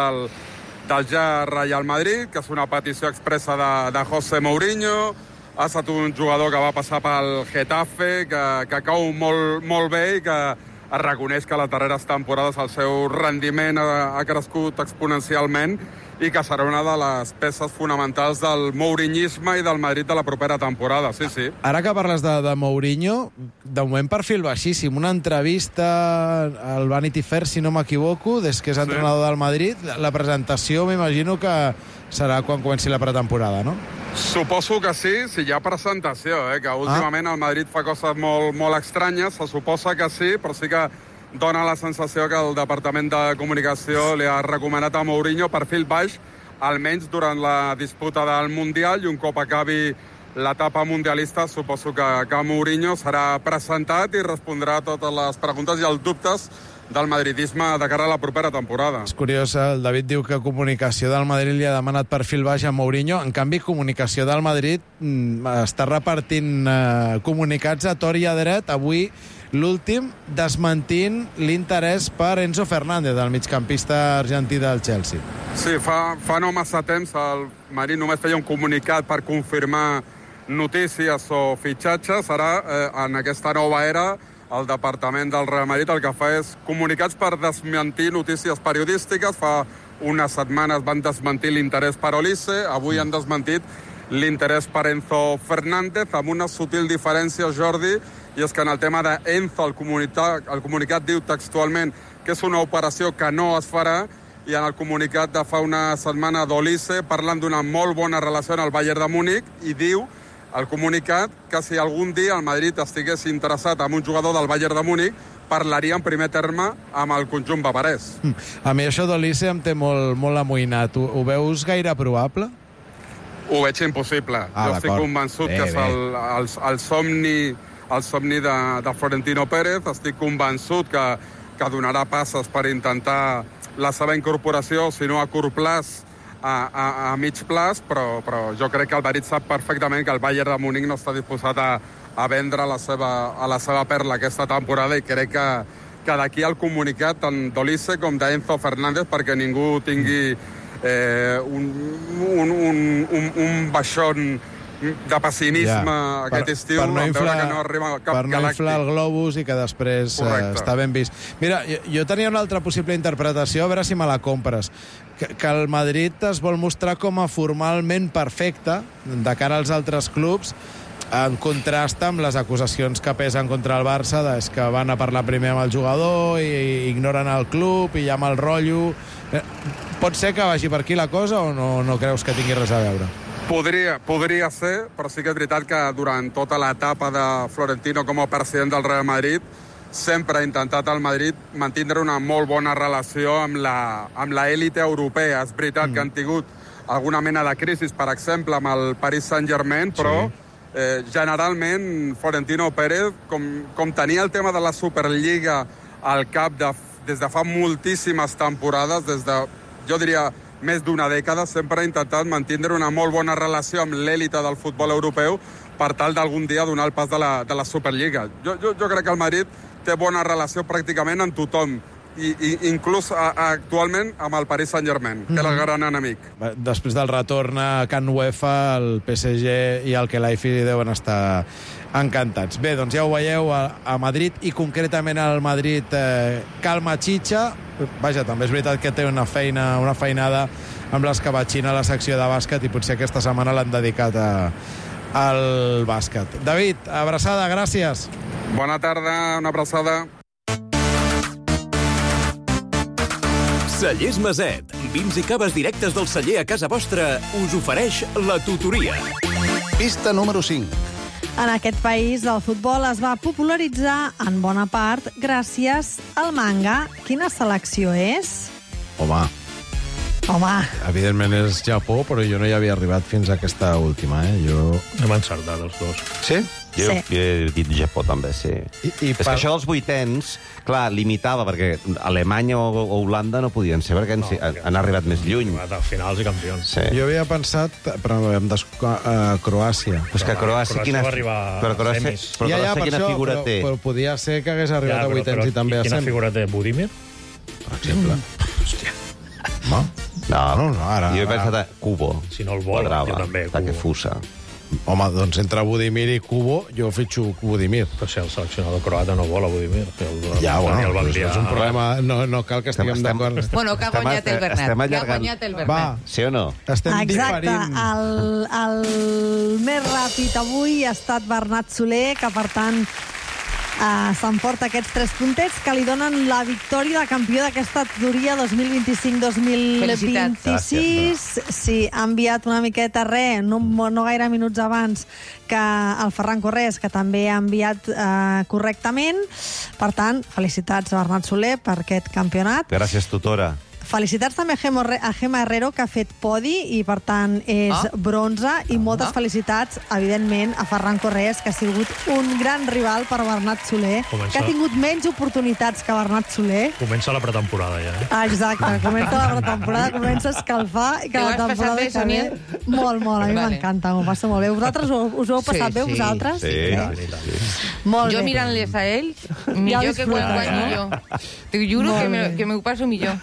del ja Real Madrid, que és una petició expressa de José Mourinho. Ha estat un jugador que va passar pel Getafe, que cau molt bé, i que es reconeix que a les darreres temporades el seu rendiment ha crescut exponencialment, i que serà una de les peces fonamentals del mourinyisme i del Madrid de la propera temporada, sí. Ara que parles de Mourinho, de moment perfil baixíssim. Una entrevista al Vanity Fair, si no m'equivoco, des que és entrenador del Madrid. La presentació m'imagino que serà quan comenci la pretemporada, no? Suposo que sí, si hi ha presentació, que últimament el Madrid fa coses molt estranyes. Se suposa que sí, però sí que dona la sensació que el Departament de Comunicació li ha recomanat a Mourinho perfil baix, almenys durant la disputa del Mundial, i un cop acabi l'etapa mundialista suposo que Mourinho serà presentat i respondrà a totes les preguntes i els dubtes del madridisme de cara a la propera temporada. És curiós, el David diu que Comunicació del Madrid li ha demanat perfil baix a Mourinho. En canvi, Comunicació del Madrid està repartint comunicats a tort i a dret. Avui l'últim desmentint l'interès per Enzo Fernández, el migcampista argentí del Chelsea. Sí, fa no massa temps el Madrid només feia un comunicat per confirmar notícies o fitxatges. Ara, en aquesta nova era, el departament del Real Madrid el que fa és comunicats per desmentir notícies periodístiques. Fa unes setmanes van desmentir l'interès per Olise, avui han desmentit l'interès per Enzo Fernández, amb una sutil diferència, Jordi, i és que en el tema d'Enzo el comunicat diu textualment que és una operació que no es farà, i en el comunicat de fa una setmana d'Olise parlen d'una molt bona relació en el Bayern de Múnich, i diu el comunicat que si algun dia el Madrid estigués interessat en un jugador del Bayern de Múnich, parlaria en primer terme amb el conjunt bavarès. A mi això d'Olise em té molt amoïnat. Ho veus gaire probable? Ho veig impossible. Jo estic convençut que és el somni de Florentino Pérez. Estic convençut que donarà passes per intentar la seva incorporació, si no a curt plaç, a mig plaç, però jo crec que el Madrid sap perfectament que el Bayern de Múnich no està disposat a vendre a la seva perla aquesta temporada, i crec que d'aquí el comunicat tant d'Olise com d'Enzo Fernández, perquè ningú tingui un baixón de pessimisme aquest estiu, per no inflar, que no arriba cap per no inflar el globus i que després està ben vist. Mira, jo tenia una altra possible interpretació, a veure si me la compres, que el Madrid es vol mostrar com a formalment perfecte de cara als altres clubs, en contrast amb les acusacions que pesen contra el Barça, és que van a parlar primer amb el jugador i ignoren el club i hi ha mal rotllo. Pot ser que vagi per aquí la cosa o no creus que tingui res a veure? Podria ser, però sí que és veritat que durant tota l'etapa de Florentino com a president del Real Madrid sempre ha intentat el Madrid mantindre una molt bona relació amb l'élite europea. És veritat que han tingut alguna mena de crisi, per exemple, amb el Paris Saint-Germain, però generalment Florentino Pérez, com tenia el tema de la Superliga al cap des de fa moltíssimes temporades, des de, jo diria, més d'una dècada, sempre ha intentat mantindre una molt bona relació amb l'èlite del futbol europeu per tal d'algun dia donar el pas de la Superliga. Jo crec que el Madrid té bona relació pràcticament amb tothom, i inclús actualment amb el Paris Saint-Germain, que és el gran enemic. Després del retorn a Can UEFA, el PSG i el Kelaifi deuen estar encantats. Bé, doncs ja ho veieu a Madrid, i concretament al Madrid calma xitxa. Vaja, també és veritat que té una feinada amb l'escabatxina a la secció de bàsquet, i potser aquesta setmana l'han dedicat al bàsquet. David, abraçada, gràcies. Bona tarda, una abraçada. Cellers Maset, vins i caves directes del celler a casa vostra, us ofereix la tutoria. Pista número 5. En aquest país el futbol es va popularitzar en bona part gràcies al manga. Quina selecció és? Home. Evidentment és Japó, però jo no hi havia arribat fins a aquesta última, Hem encertat els dos. Sí? Jo he dit Japó, també, sí. És que això dels vuitens, clar, limitava, perquè Alemanya o Holanda no podien ser, perquè han arribat més lluny. Finals i campions. Sí. Jo havia pensat, però Croàcia. Però és que Croàcia, quina figura té? Però podia ser que hagués arribat a vuitens i també a quina figura té? Budimir? Per exemple. Hòstia. No, ara... Jo he pensat a Kubo. Si no el vol, jo també. Takefusa. Home, doncs entre Budimir i Kubo, jo fitxo Budimir. Però si el seleccionador croata no vol a Budimir. Ja, bueno, és un problema... No cal que estiguem d'acord. Bueno, que ha guanyat el Bernat. Va, sí o no? Exacte. El més ràpid avui ha estat Bernat Soler, que per tant s'emporta aquests 3 puntets que li donen la victòria de campió d'aquesta tutoria 2025-2026. Sí, ha enviat una miqueta no gaire minuts abans que el Ferran Corrés, que també ha enviat correctament. Per tant, felicitats a Bernat Soler per aquest campionat. Gràcies, tutora. Felicitats també a Gemma Herrero, que ha fet podi i, per tant, és bronze. I moltes felicitats, evidentment, a Ferran Correas, que ha sigut un gran rival per Bernat Soler, que ha tingut menys oportunitats que Bernat Soler. Comença la pretemporada, ja. Exacte, comença la pretemporada, comença a escalfar i que la temporada que ve... Molt, a mi m'encanta, m'ho passo molt bé. Vosaltres us ho heu passat bé, vosaltres? Sí. Jo mirant-les a ells, millor que quan guanyo jo. T'ho juro que m'ho passo millor.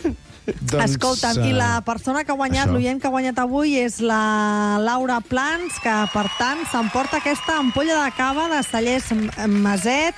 Escolta'm, i la persona que ha guanyat, l'oient que ha guanyat avui, és la Laura Plans, que, per tant, s'emporta aquesta ampolla de cava de Cellers Maset,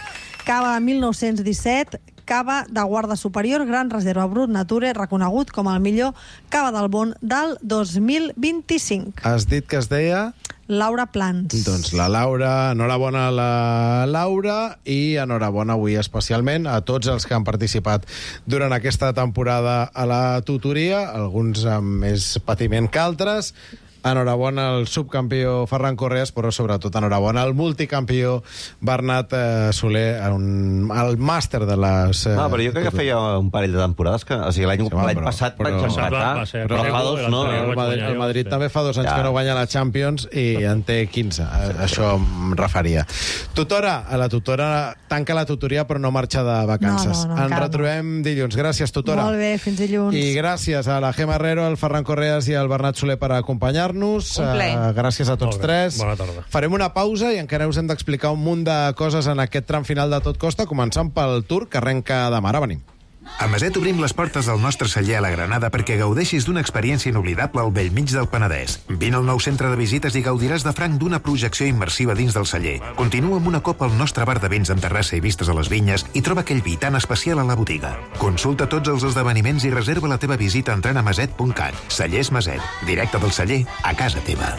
cava de 1917, cava de Guarda Superior, Gran Reserva Brut Nature, reconegut com el millor cava del món del 2025. Has dit que es deia... Laura Plans. Doncs la Laura, enhorabona a la Laura i enhorabona avui especialment a tots els que han participat durant aquesta temporada a la tutoria, alguns amb més patiment que altres. Enhorabona al subcampió Ferran Correas, però sobretot enhorabona al multicampió Bernat Soler, al màster de les... No, però jo crec que feia un parell de temporades que... O sigui, l'any passat vaig empatar, però fa dos no. El Madrid també fa 2 anys que no guanya la Champions i en té 15. Això em referia. Tutora, la tutora tanca la tutoria però no marxa de vacances. Ens retrobem dilluns. Gràcies, tutora. Molt bé, fins dilluns. I gràcies a la Gemma Herrero, al Ferran Correas i al Bernat Soler per acompanyar-nos. Gràcies a tots tres. Bona tarda. Farem una pausa i encara us hem d'explicar un munt de coses en aquest tram final de Tot Costa, començant pel Tour, que arrenca demà. Ara venim. A Maset obrim les portes del nostre celler a la Granada perquè gaudeixis d'una experiència inoblidable al bell mig del Penedès. Vine al nou centre de visites i gaudiràs de franc d'una projecció immersiva dins del celler. Continua amb una copa al nostre bar de vins amb terrassa i vistes a les vinyes i troba aquell vi tan especial a la botiga. Consulta tots els esdeveniments i reserva la teva visita entrant a maset.cat. Cellers Maset, directe del celler a casa teva.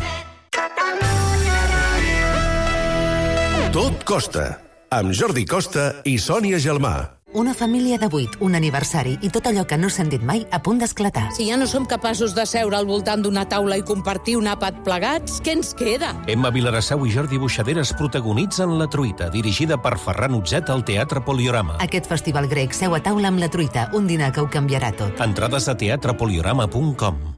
Tot Costa, amb Jordi Costa i Sònia Gelmà. Una família de 8, un aniversari i tot allò que no s'han dit mai a punt d'esclatar. Si ja no som capaços de seure al voltant d'una taula i compartir un àpat plegats, què ens queda? Emma Vilarassau i Jordi Buixaderes protagonitzen La Truita, dirigida per Ferran Utzet al Teatre Poliorama. Aquest festival grec seu a taula amb La Truita, un dinar que ho canviarà tot. Entrades a teatrepoliorama.com.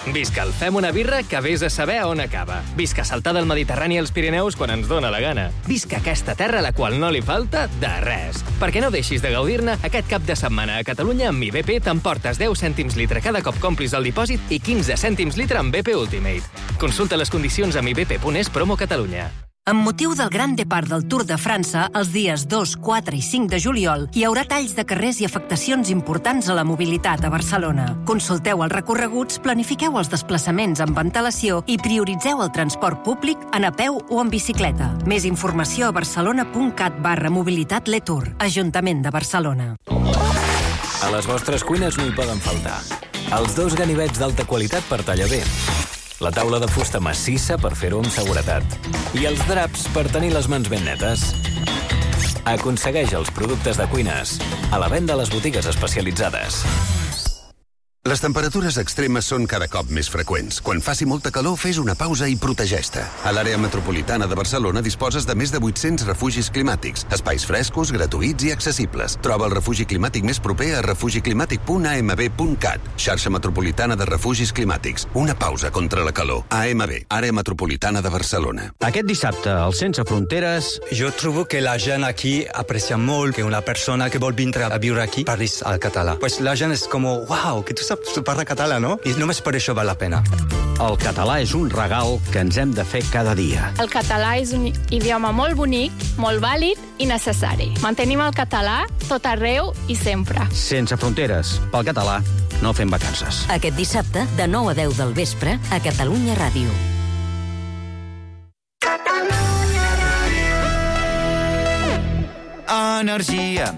Visca el Fem una birra que vés a saber on acaba. Visca saltar del Mediterrani als Pirineus quan ens dóna la gana. Visca aquesta terra a la qual no li falta de res. Perquè no deixis de gaudir-ne, aquest cap de setmana a Catalunya amb IBP t'emportes 10 cèntims litre cada cop complis el dipòsit i 15 cèntims litre amb BP Ultimate. Consulta les condicions amb ibp.es promo Catalunya. Amb motiu del Gran Depart del Tour de França, els dies 2, 4 i 5 de juliol, hi haurà talls de carrers i afectacions importants a la mobilitat a Barcelona. Consulteu els recorreguts, planifiqueu els desplaçaments amb antelació i prioritzeu el transport públic en a peu o en bicicleta. Més informació a barcelona.cat/mobilitat Letour, Ajuntament de Barcelona. A les vostres cuines no hi poden faltar els 2 ganivets d'alta qualitat per tallar bé, la taula de fusta massissa per fer-ho amb seguretat i els draps per tenir les mans ben netes. Aconsegueix els productes de cuines a la venda a les botigues especialitzades. Les temperatures extremes són cada cop més freqüents. Quan faci molta calor, fes una pausa i protegeix-te. A l'àrea metropolitana de Barcelona disposes de més de 800 refugis climàtics, espais frescos, gratuïts i accessibles. Troba el refugi climàtic més proper a refugiclimàtic.amb.cat. Xarxa metropolitana de refugis climàtics. Una pausa contra la calor. AMB, àrea metropolitana de Barcelona. Aquest dissabte, al Sense Fronteres... Jo trobo que la gent aquí aprecia molt que una persona que vol vindre a viure aquí parlis al català. Pues la gent és com, uau, que tu saps parlar català, no? I només per això val la pena. El català és un regal que ens hem de fer cada dia. El català és un idioma molt bonic, molt vàlid i necessari. Mantenim el català tot arreu i sempre. Sense Fronteres. Pel català, no fem vacances. Aquest dissabte, de 9 a 10 del vespre, a Catalunya Ràdio. Energia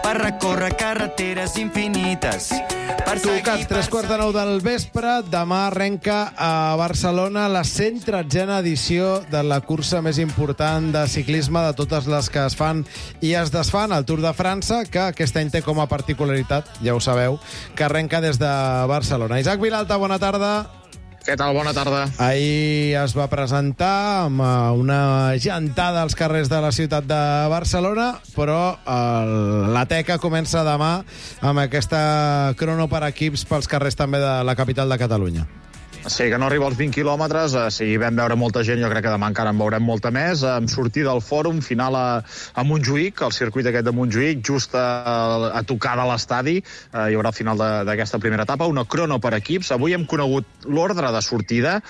per recórrer carreteres infinites. Tocats, 3:45 del vespre. Demà arrenca a Barcelona la 113a edició de la cursa més important de ciclisme de totes les que es fan i es desfan, el Tour de França, que aquest any té com a particularitat, ja ho sabeu, que arrenca des de Barcelona. Isaac Vilalta, bona tarda. Què tal? Bona tarda. Ahir es va presentar amb una gentada als carrers de la ciutat de Barcelona, però la teca comença demà amb aquesta crono per equips pels carrers també de la capital de Catalunya. Sí, que no arriba als 20 quilòmetres. Si vam veure molta gent, jo crec que demà encara en veurem molta més. Amb sortida al fòrum, final a Montjuïc, el circuit aquest de Montjuïc, just a tocar de l'estadi. Hi haurà al final d'aquesta primera etapa una crono per equips. Avui hem conegut l'ordre de sortida.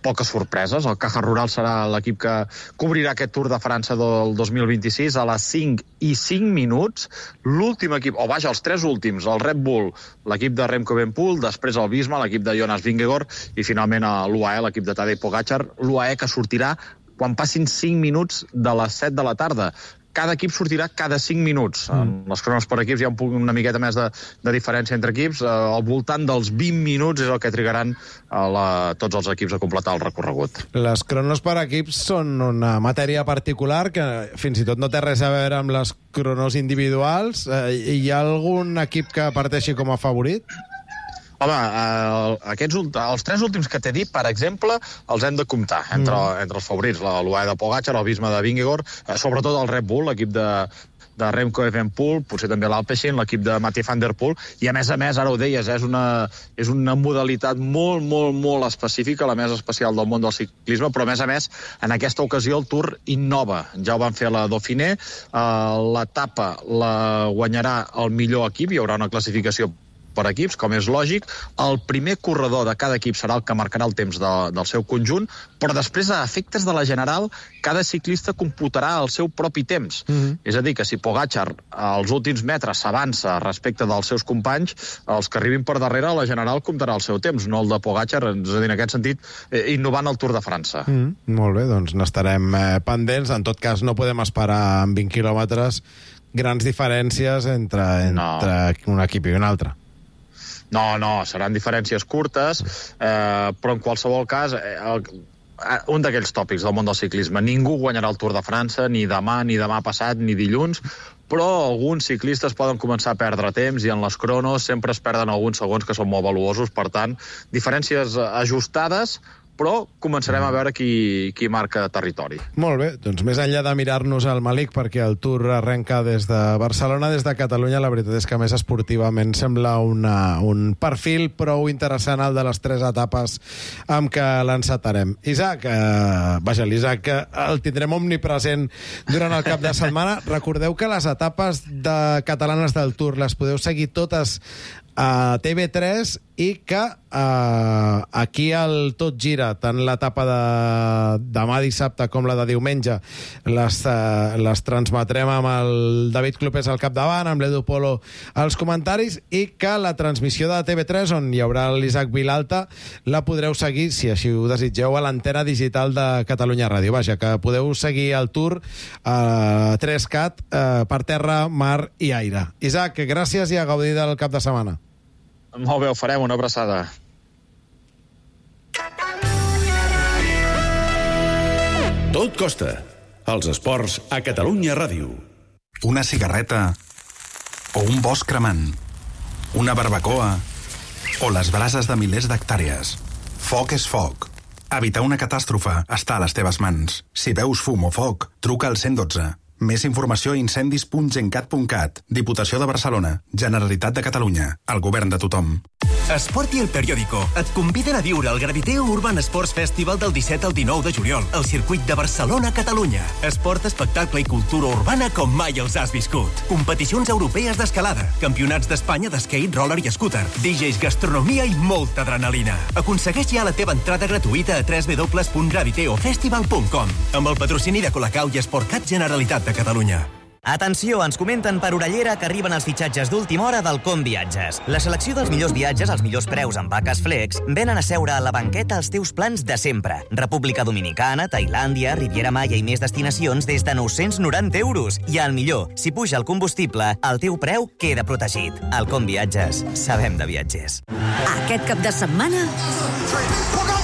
Poques sorpreses. El Caja Rural serà l'equip que cobrirà aquest Tour de França del 2026 a les 5:05. L'últim equip, o vaja, els tres últims, el Red Bull, l'equip de Remco Evenepoel, després el Visma, l'equip de Jonas Vingegaard, i finalment l'UAE, l'equip de Tadej Pogačar, l'UAE que sortirà quan passin 5 minuts de les 7 de la tarda. Cada equip sortirà cada 5 minuts. Les cronos per equips hi ha una miqueta més de diferència entre equips. Al voltant dels 20 minuts és el que trigaran tots els equips a completar el recorregut. Les cronos per equips són una matèria particular que fins i tot no té res a veure amb les cronos individuals. Hi ha algun equip que parteixi com a favorit? Home, els tres últims que t'he dit, per exemple, els hem de comptar entre els favorits. L'UAE de Pogačar, el Visma de Vingegaard, sobretot el Red Bull, l'equip de Remco Evenepoel, potser també l'Alpecin, l'equip de Mathieu van der Poel, i a més, ara ho deies, és una modalitat molt, molt, molt específica, la més especial del món del ciclisme, però a més, en aquesta ocasió el Tour innova. Ja ho van fer a la Dauphiné, l'etapa la guanyarà el millor equip, hi haurà una classificació per equips, com és lògic. El primer corredor de cada equip serà el que marcarà el temps del seu conjunt, però després, a efectes de la general, cada ciclista computarà el seu propi temps. És a dir, que si Pogačar als últims metres s'avança respecte dels seus companys, els que arribin per darrere, la general comptarà el seu temps, no el de Pogačar, és a dir, en aquest sentit, innovant el Tour de França. Molt bé, doncs n'estarem pendents. En tot cas, no podem esperar en 20 quilòmetres grans diferències entre un equip i un altre. No, seran diferències curtes, però en qualsevol cas, un d'aquells tòpics del món del ciclisme. Ningú guanyarà el Tour de França, ni demà passat, ni dilluns, però alguns ciclistes poden començar a perdre temps i en les cronos sempre es perden alguns segons que són molt valuosos. Per tant, diferències ajustades, però començarem a veure qui marca territori. Molt bé, doncs més enllà de mirar-nos al Malik, perquè el Tour arrenca des de Barcelona, des de Catalunya, la veritat és que més esportivament sembla un perfil prou interessant el de les 3 etapes amb què l'encetarem. Isaac, l'Isaac el tindrem omnipresent durant el cap de setmana. Recordeu que les etapes catalanes del Tour les podeu seguir totes a TV3 i que aquí el Tot Gira, tant l'etapa de demà dissabte com la de diumenge, les transmetrem amb el David Clopés al capdavant, amb l'Edu Polo als comentaris, i que la transmissió de TV3, on hi haurà l'Isaac Vilalta, la podreu seguir, si així ho desitgeu, a l'antena digital de Catalunya Ràdio. Vaja, que podeu seguir el Tour a 3CAT per terra, mar i aire. Isaac, gràcies i a gaudir del cap de setmana. Molt bé, ho farem, una abraçada. Tot costa. Els esports a Catalunya Ràdio. Una cigarreta o un bosc cremant, una barbacoa o les brases de milers d'hectàrees. Foc és foc. Evitar una catàstrofe està a les teves mans. Si veus fum o foc, truca al 112. Més informació a incendis.gencat.cat. Diputació de Barcelona. Generalitat de Catalunya. El govern de tothom. Esport i El Periódico et conviden a viure el Graviteo Urban Sports Festival del 17 al 19 de juliol al circuit de Barcelona, Catalunya. Esport, espectacle i cultura urbana com mai els has viscut. Competicions europees d'escalada, campionats d'Espanya d'skate, roller i scooter, DJs, gastronomia i molta adrenalina. Aconsegueix ja la teva entrada gratuïta a www.graviteofestival.com amb el patrocini de Colacau i Esportcat Generalitat de Catalunya. Atenció, ens comenten per Orellera que arriben els fitxatges d'última hora del Com Viatges. La selecció dels millors viatges als millors preus amb vaques flex venen a seure a la banqueta els teus plans de sempre. República Dominicana, Tailàndia, Riviera Maya i més destinacions des de 990 euros. I el millor, si puja el combustible, el teu preu queda protegit. Al Com Viatges, sabem de viatgers. Aquest cap de setmana,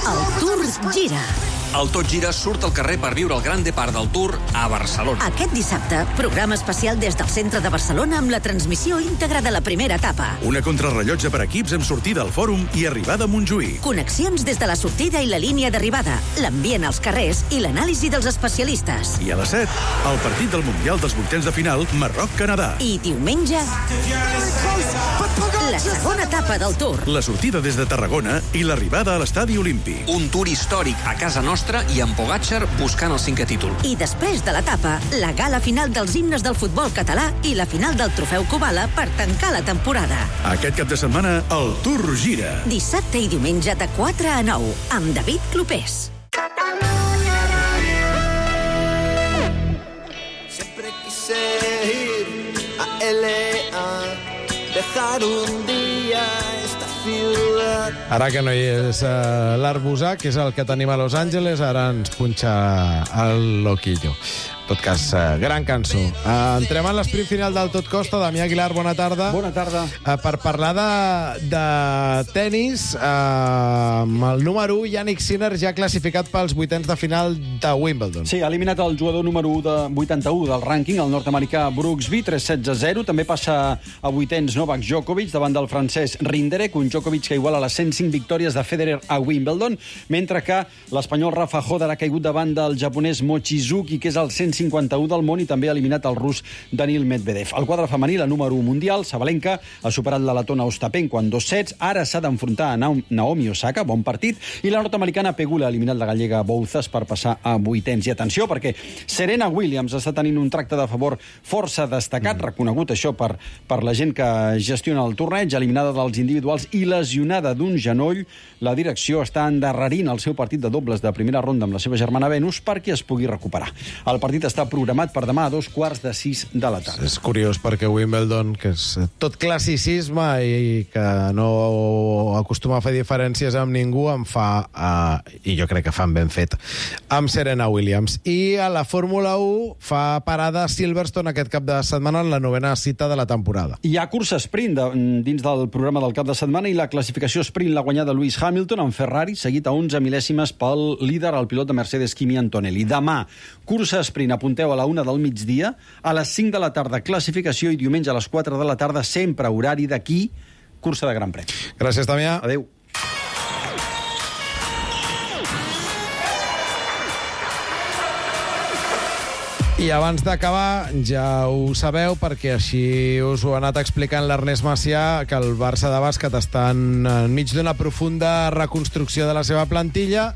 el Tour gira. El Tot Gira surt al carrer per viure el gran depart del Tour a Barcelona. Aquest dissabte, programa especial des del centre de Barcelona amb la transmissió íntegra de la primera etapa. Una contrarrellotge per equips amb sortida al Fòrum i arribada a Montjuïc. Connexions des de la sortida i la línia d'arribada, l'ambient als carrers i l'anàlisi dels especialistes. I a les 7, el partit del Mundial dels vuitens de final, Marroc-Canadà. I diumenge, la segona etapa del Tour. La sortida des de Tarragona i l'arribada a l'Estadi Olímpic. Un Tour històric a casa nostra i amb Pogačar buscant el 5è títol. I després de l'etapa, la gala final dels himnes del futbol català i la final del Trofeu Kubala per tancar la temporada. Aquest cap de setmana, el Tour gira. Dissabte i diumenge de 4 a 9, amb David Clopés. Siempre quise ir a LA, dejar un día esta ciudad. Ara que no hi és l'Arbusà, que és el que tenim a Los Angeles, ara ens punxa el loquillo. En tot cas, gran cançó. Entrem en l'esprint final del Tot Costa. Damià Aguilar, bona tarda. Bona tarda. Per parlar de tennis, amb el número 1, Jannik Sinner, ja classificat pels vuitens de final de Wimbledon. Sí, ha eliminat el jugador número 1 de 81 del rànquing, el nord-americà Brooksby, 3-16-0. També passa a vuitens Novak Djokovic davant del francès Rinderknech, un Djokovic que iguala les 105 victòries de Federer a Wimbledon, mentre que l'espanyol Rafa Hodar ha caigut davant del japonès Mochizuki, que és el 151 del món, i també ha eliminat el rus Daniil Medvedev. El quadre femení, la número 1 mundial, Sabalenka, ha superat la letona Ostapenko en 2 sets. Ara s'ha d'enfrontar a Naomi Osaka, bon partit, i la nord-americana Pegula ha eliminat la gallega Bouzas per passar a vuitens. I atenció, perquè Serena Williams està tenint un tracte de favor força destacat, reconegut això per la gent que gestiona el torneig, eliminada dels individuals i lesionada d'un genoll. La direcció està endarrerint el seu partit de dobles de primera ronda amb la seva germana Venus perquè es pugui recuperar. El partit està programat per demà a 2:45 de la tarda. És curiós perquè Wimbledon, que és tot classicisme i que no acostuma a fer diferències amb ningú, em fa, i jo crec que fan ben fet, amb Serena Williams. I a la Fórmula 1 fa parada a Silverstone aquest cap de setmana en la 9ª cita de la temporada. Hi ha cursa sprint dins del programa del cap de setmana i la classificació sprint l'ha guanyada Lewis Hamilton en Ferrari, seguit a 11 mil·lèsimes pel líder, el pilot de Mercedes Kimi Antonelli. Demà, cursa sprint, apunteu a la 1 del migdia, a les 5 de la tarda classificació i diumenge a les 4 de la tarda, sempre horari d'aquí, cursa de Gran Premi. Gràcies, Damià. Adéu. I abans d'acabar, ja ho sabeu, perquè així us ho ha anat explicant l'Ernest Macià, que el Barça de bàsquet està enmig d'una profunda reconstrucció de la seva plantilla.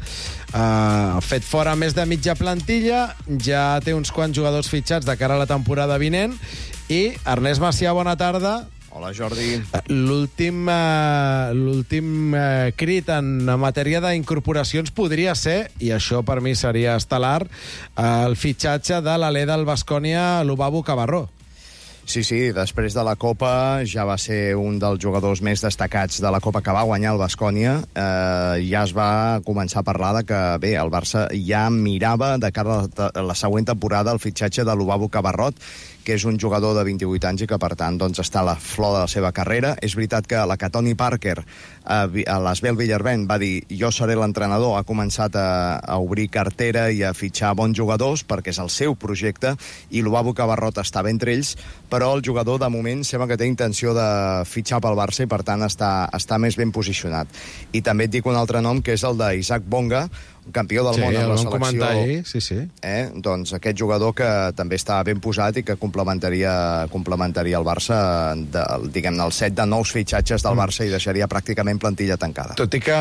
Ha fet fora més de mitja plantilla, ja té uns quants jugadors fitxats de cara a la temporada vinent. I, Ernest Macià, bona tarda. Hola, Jordi. L'últim crit en matèria d'incorporacions podria ser, i això per mi seria estel·lar, el fitxatge de l'alè del Baskonia, Lubavu Cabarró. Sí, després de la Copa ja va ser un dels jugadors més destacats de la Copa que va guanyar el Baskonia. Ja es va començar a parlar de que, bé, el Barça ja mirava de cara a la següent temporada el fitxatge de Lubavu Cabarrot, que és un jugador de 28 anys i que, per tant, doncs, està a la flor de la seva carrera. És veritat que la que Tony Parker a l'Asbel Villarben va dir jo seré l'entrenador, ha començat a obrir cartera i a fitxar bons jugadors perquè és el seu projecte i Lubavu Cabarrot estava entre ells, però el jugador de moment sembla que té intenció de fitxar pel Barça i per tant està més ben posicionat. I també et dic un altre nom, que és el d'Isaac Bonga, campió del món amb la selecció. Sí. Doncs aquest jugador que també està ben posat i que complementaria el Barça, diguem-ne, el set de nous fitxatges del Barça i deixaria pràcticament plantilla tancada. Tot i que,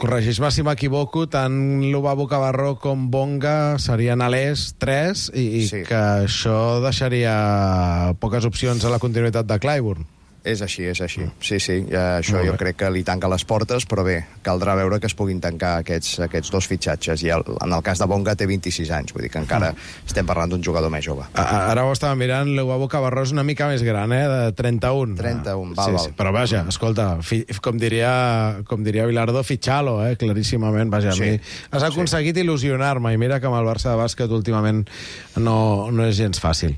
corregeix-me si m'equivoco, tant Lubavu Cabarró com Bonga serien alès 3 i que això deixaria poques opcions a la continuïtat de Clyburn. És així. Sí, això jo crec que li tanca les portes, però bé, caldrà veure que es puguin tancar aquests dos fitxatges. I en el cas de Bonga té 26 anys, vull dir que encara estem parlant d'un jugador més jove. Ara ho estava mirant, Lubavu Cabarró és una mica més gran, de 31. 31, val. Però vaja, escolta, com diria Bilardo, fitxalo, claríssimament. Vaja, a mi has aconseguit il·lusionar-me, i mira que amb el Barça de bàsquet últimament no és gens fàcil.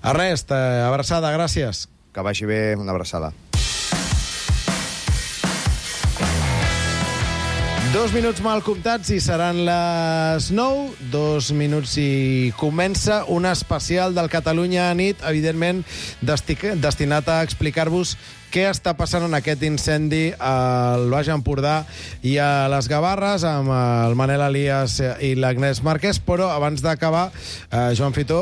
Ernest, abraçada, gràcies. Que vagi bé, una abraçada. 2 minuts mal comptats i seran les 9. 2 minuts i comença un especial del Catalunya Nit, evidentment destinat a explicar-vos què està passant en aquest incendi al Baix Empordà i a les Gavarres amb el Manel Elias i l'Agnès Márquez, però abans d'acabar, Joan Fitó,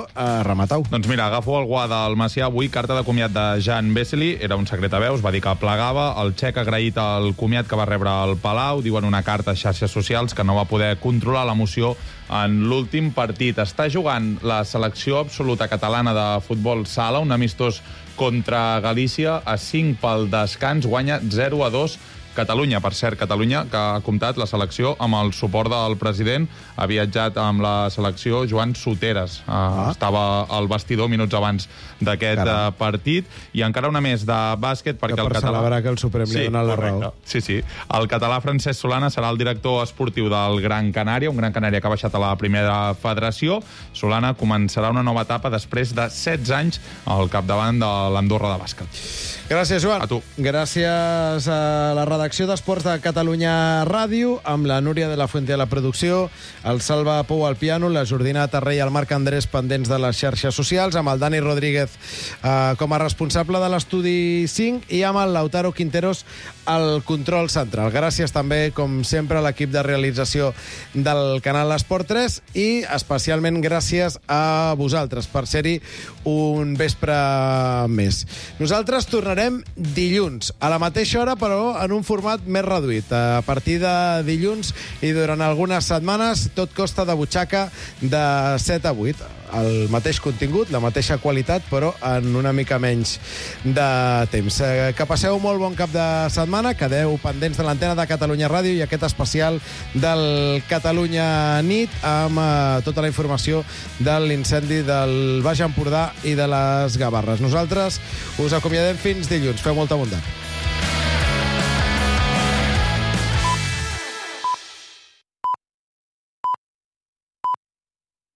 rematau. Doncs mira, agafo el guà del Macià avui, carta de comiat de Jan Vesely, era un secret a veus, va dir que plegava, el xec ha agraït el comiat que va rebre al Palau, diuen una carta a xarxes socials que no va poder controlar l'emoció en l'últim partit. Està jugant la selecció absoluta catalana de futbol sala, un amistós contra Galícia, a 5 pel descans, guanya 0-2 Catalunya. Per cert, Catalunya, que ha comptat la selecció amb el suport del president, ha viatjat amb la selecció Joan Soteres. Estava al vestidor minuts abans d'aquest partit. I encara una més de bàsquet, perquè el català... celebrar que el Suprem li ha donat la raó. Sí. El català Francesc Solana serà el director esportiu del Gran Canària, un Gran Canària que ha baixat a la primera federació. Solana començarà una nova etapa després de 16 anys al capdavant de l'Andorra de bàsquet. Gràcies, Joan. A tu. Gràcies a la redacció d'Esports de Catalunya Ràdio, amb la Núria de la Fuente a la producció, el Salva Pou al piano, la Jordina Tarré i el Marc Andrés pendents de les xarxes socials, amb el Dani Rodríguez com a responsable de l'Estudi 5 i amb el Lautaro Quinteros al control central. Gràcies també, com sempre, a l'equip de realització del canal Esport 3 i especialment gràcies a vosaltres per ser-hi un vespre més. Nosaltres tornarem dilluns, a la mateixa hora, però en un format més reduït. A partir de dilluns i durant algunes setmanes, tot costa de butxaca de 7 a 8. El mateix contingut, la mateixa qualitat, però en una mica menys de temps. Que passeu molt bon cap de setmana, quedeu pendents de l'antena de Catalunya Ràdio i aquest especial del Catalunya Nit amb tota la informació de l'incendi del Baix Empordà i de les Gavarres. Nosaltres us acomiadem fins dilluns. Feu molta bondat.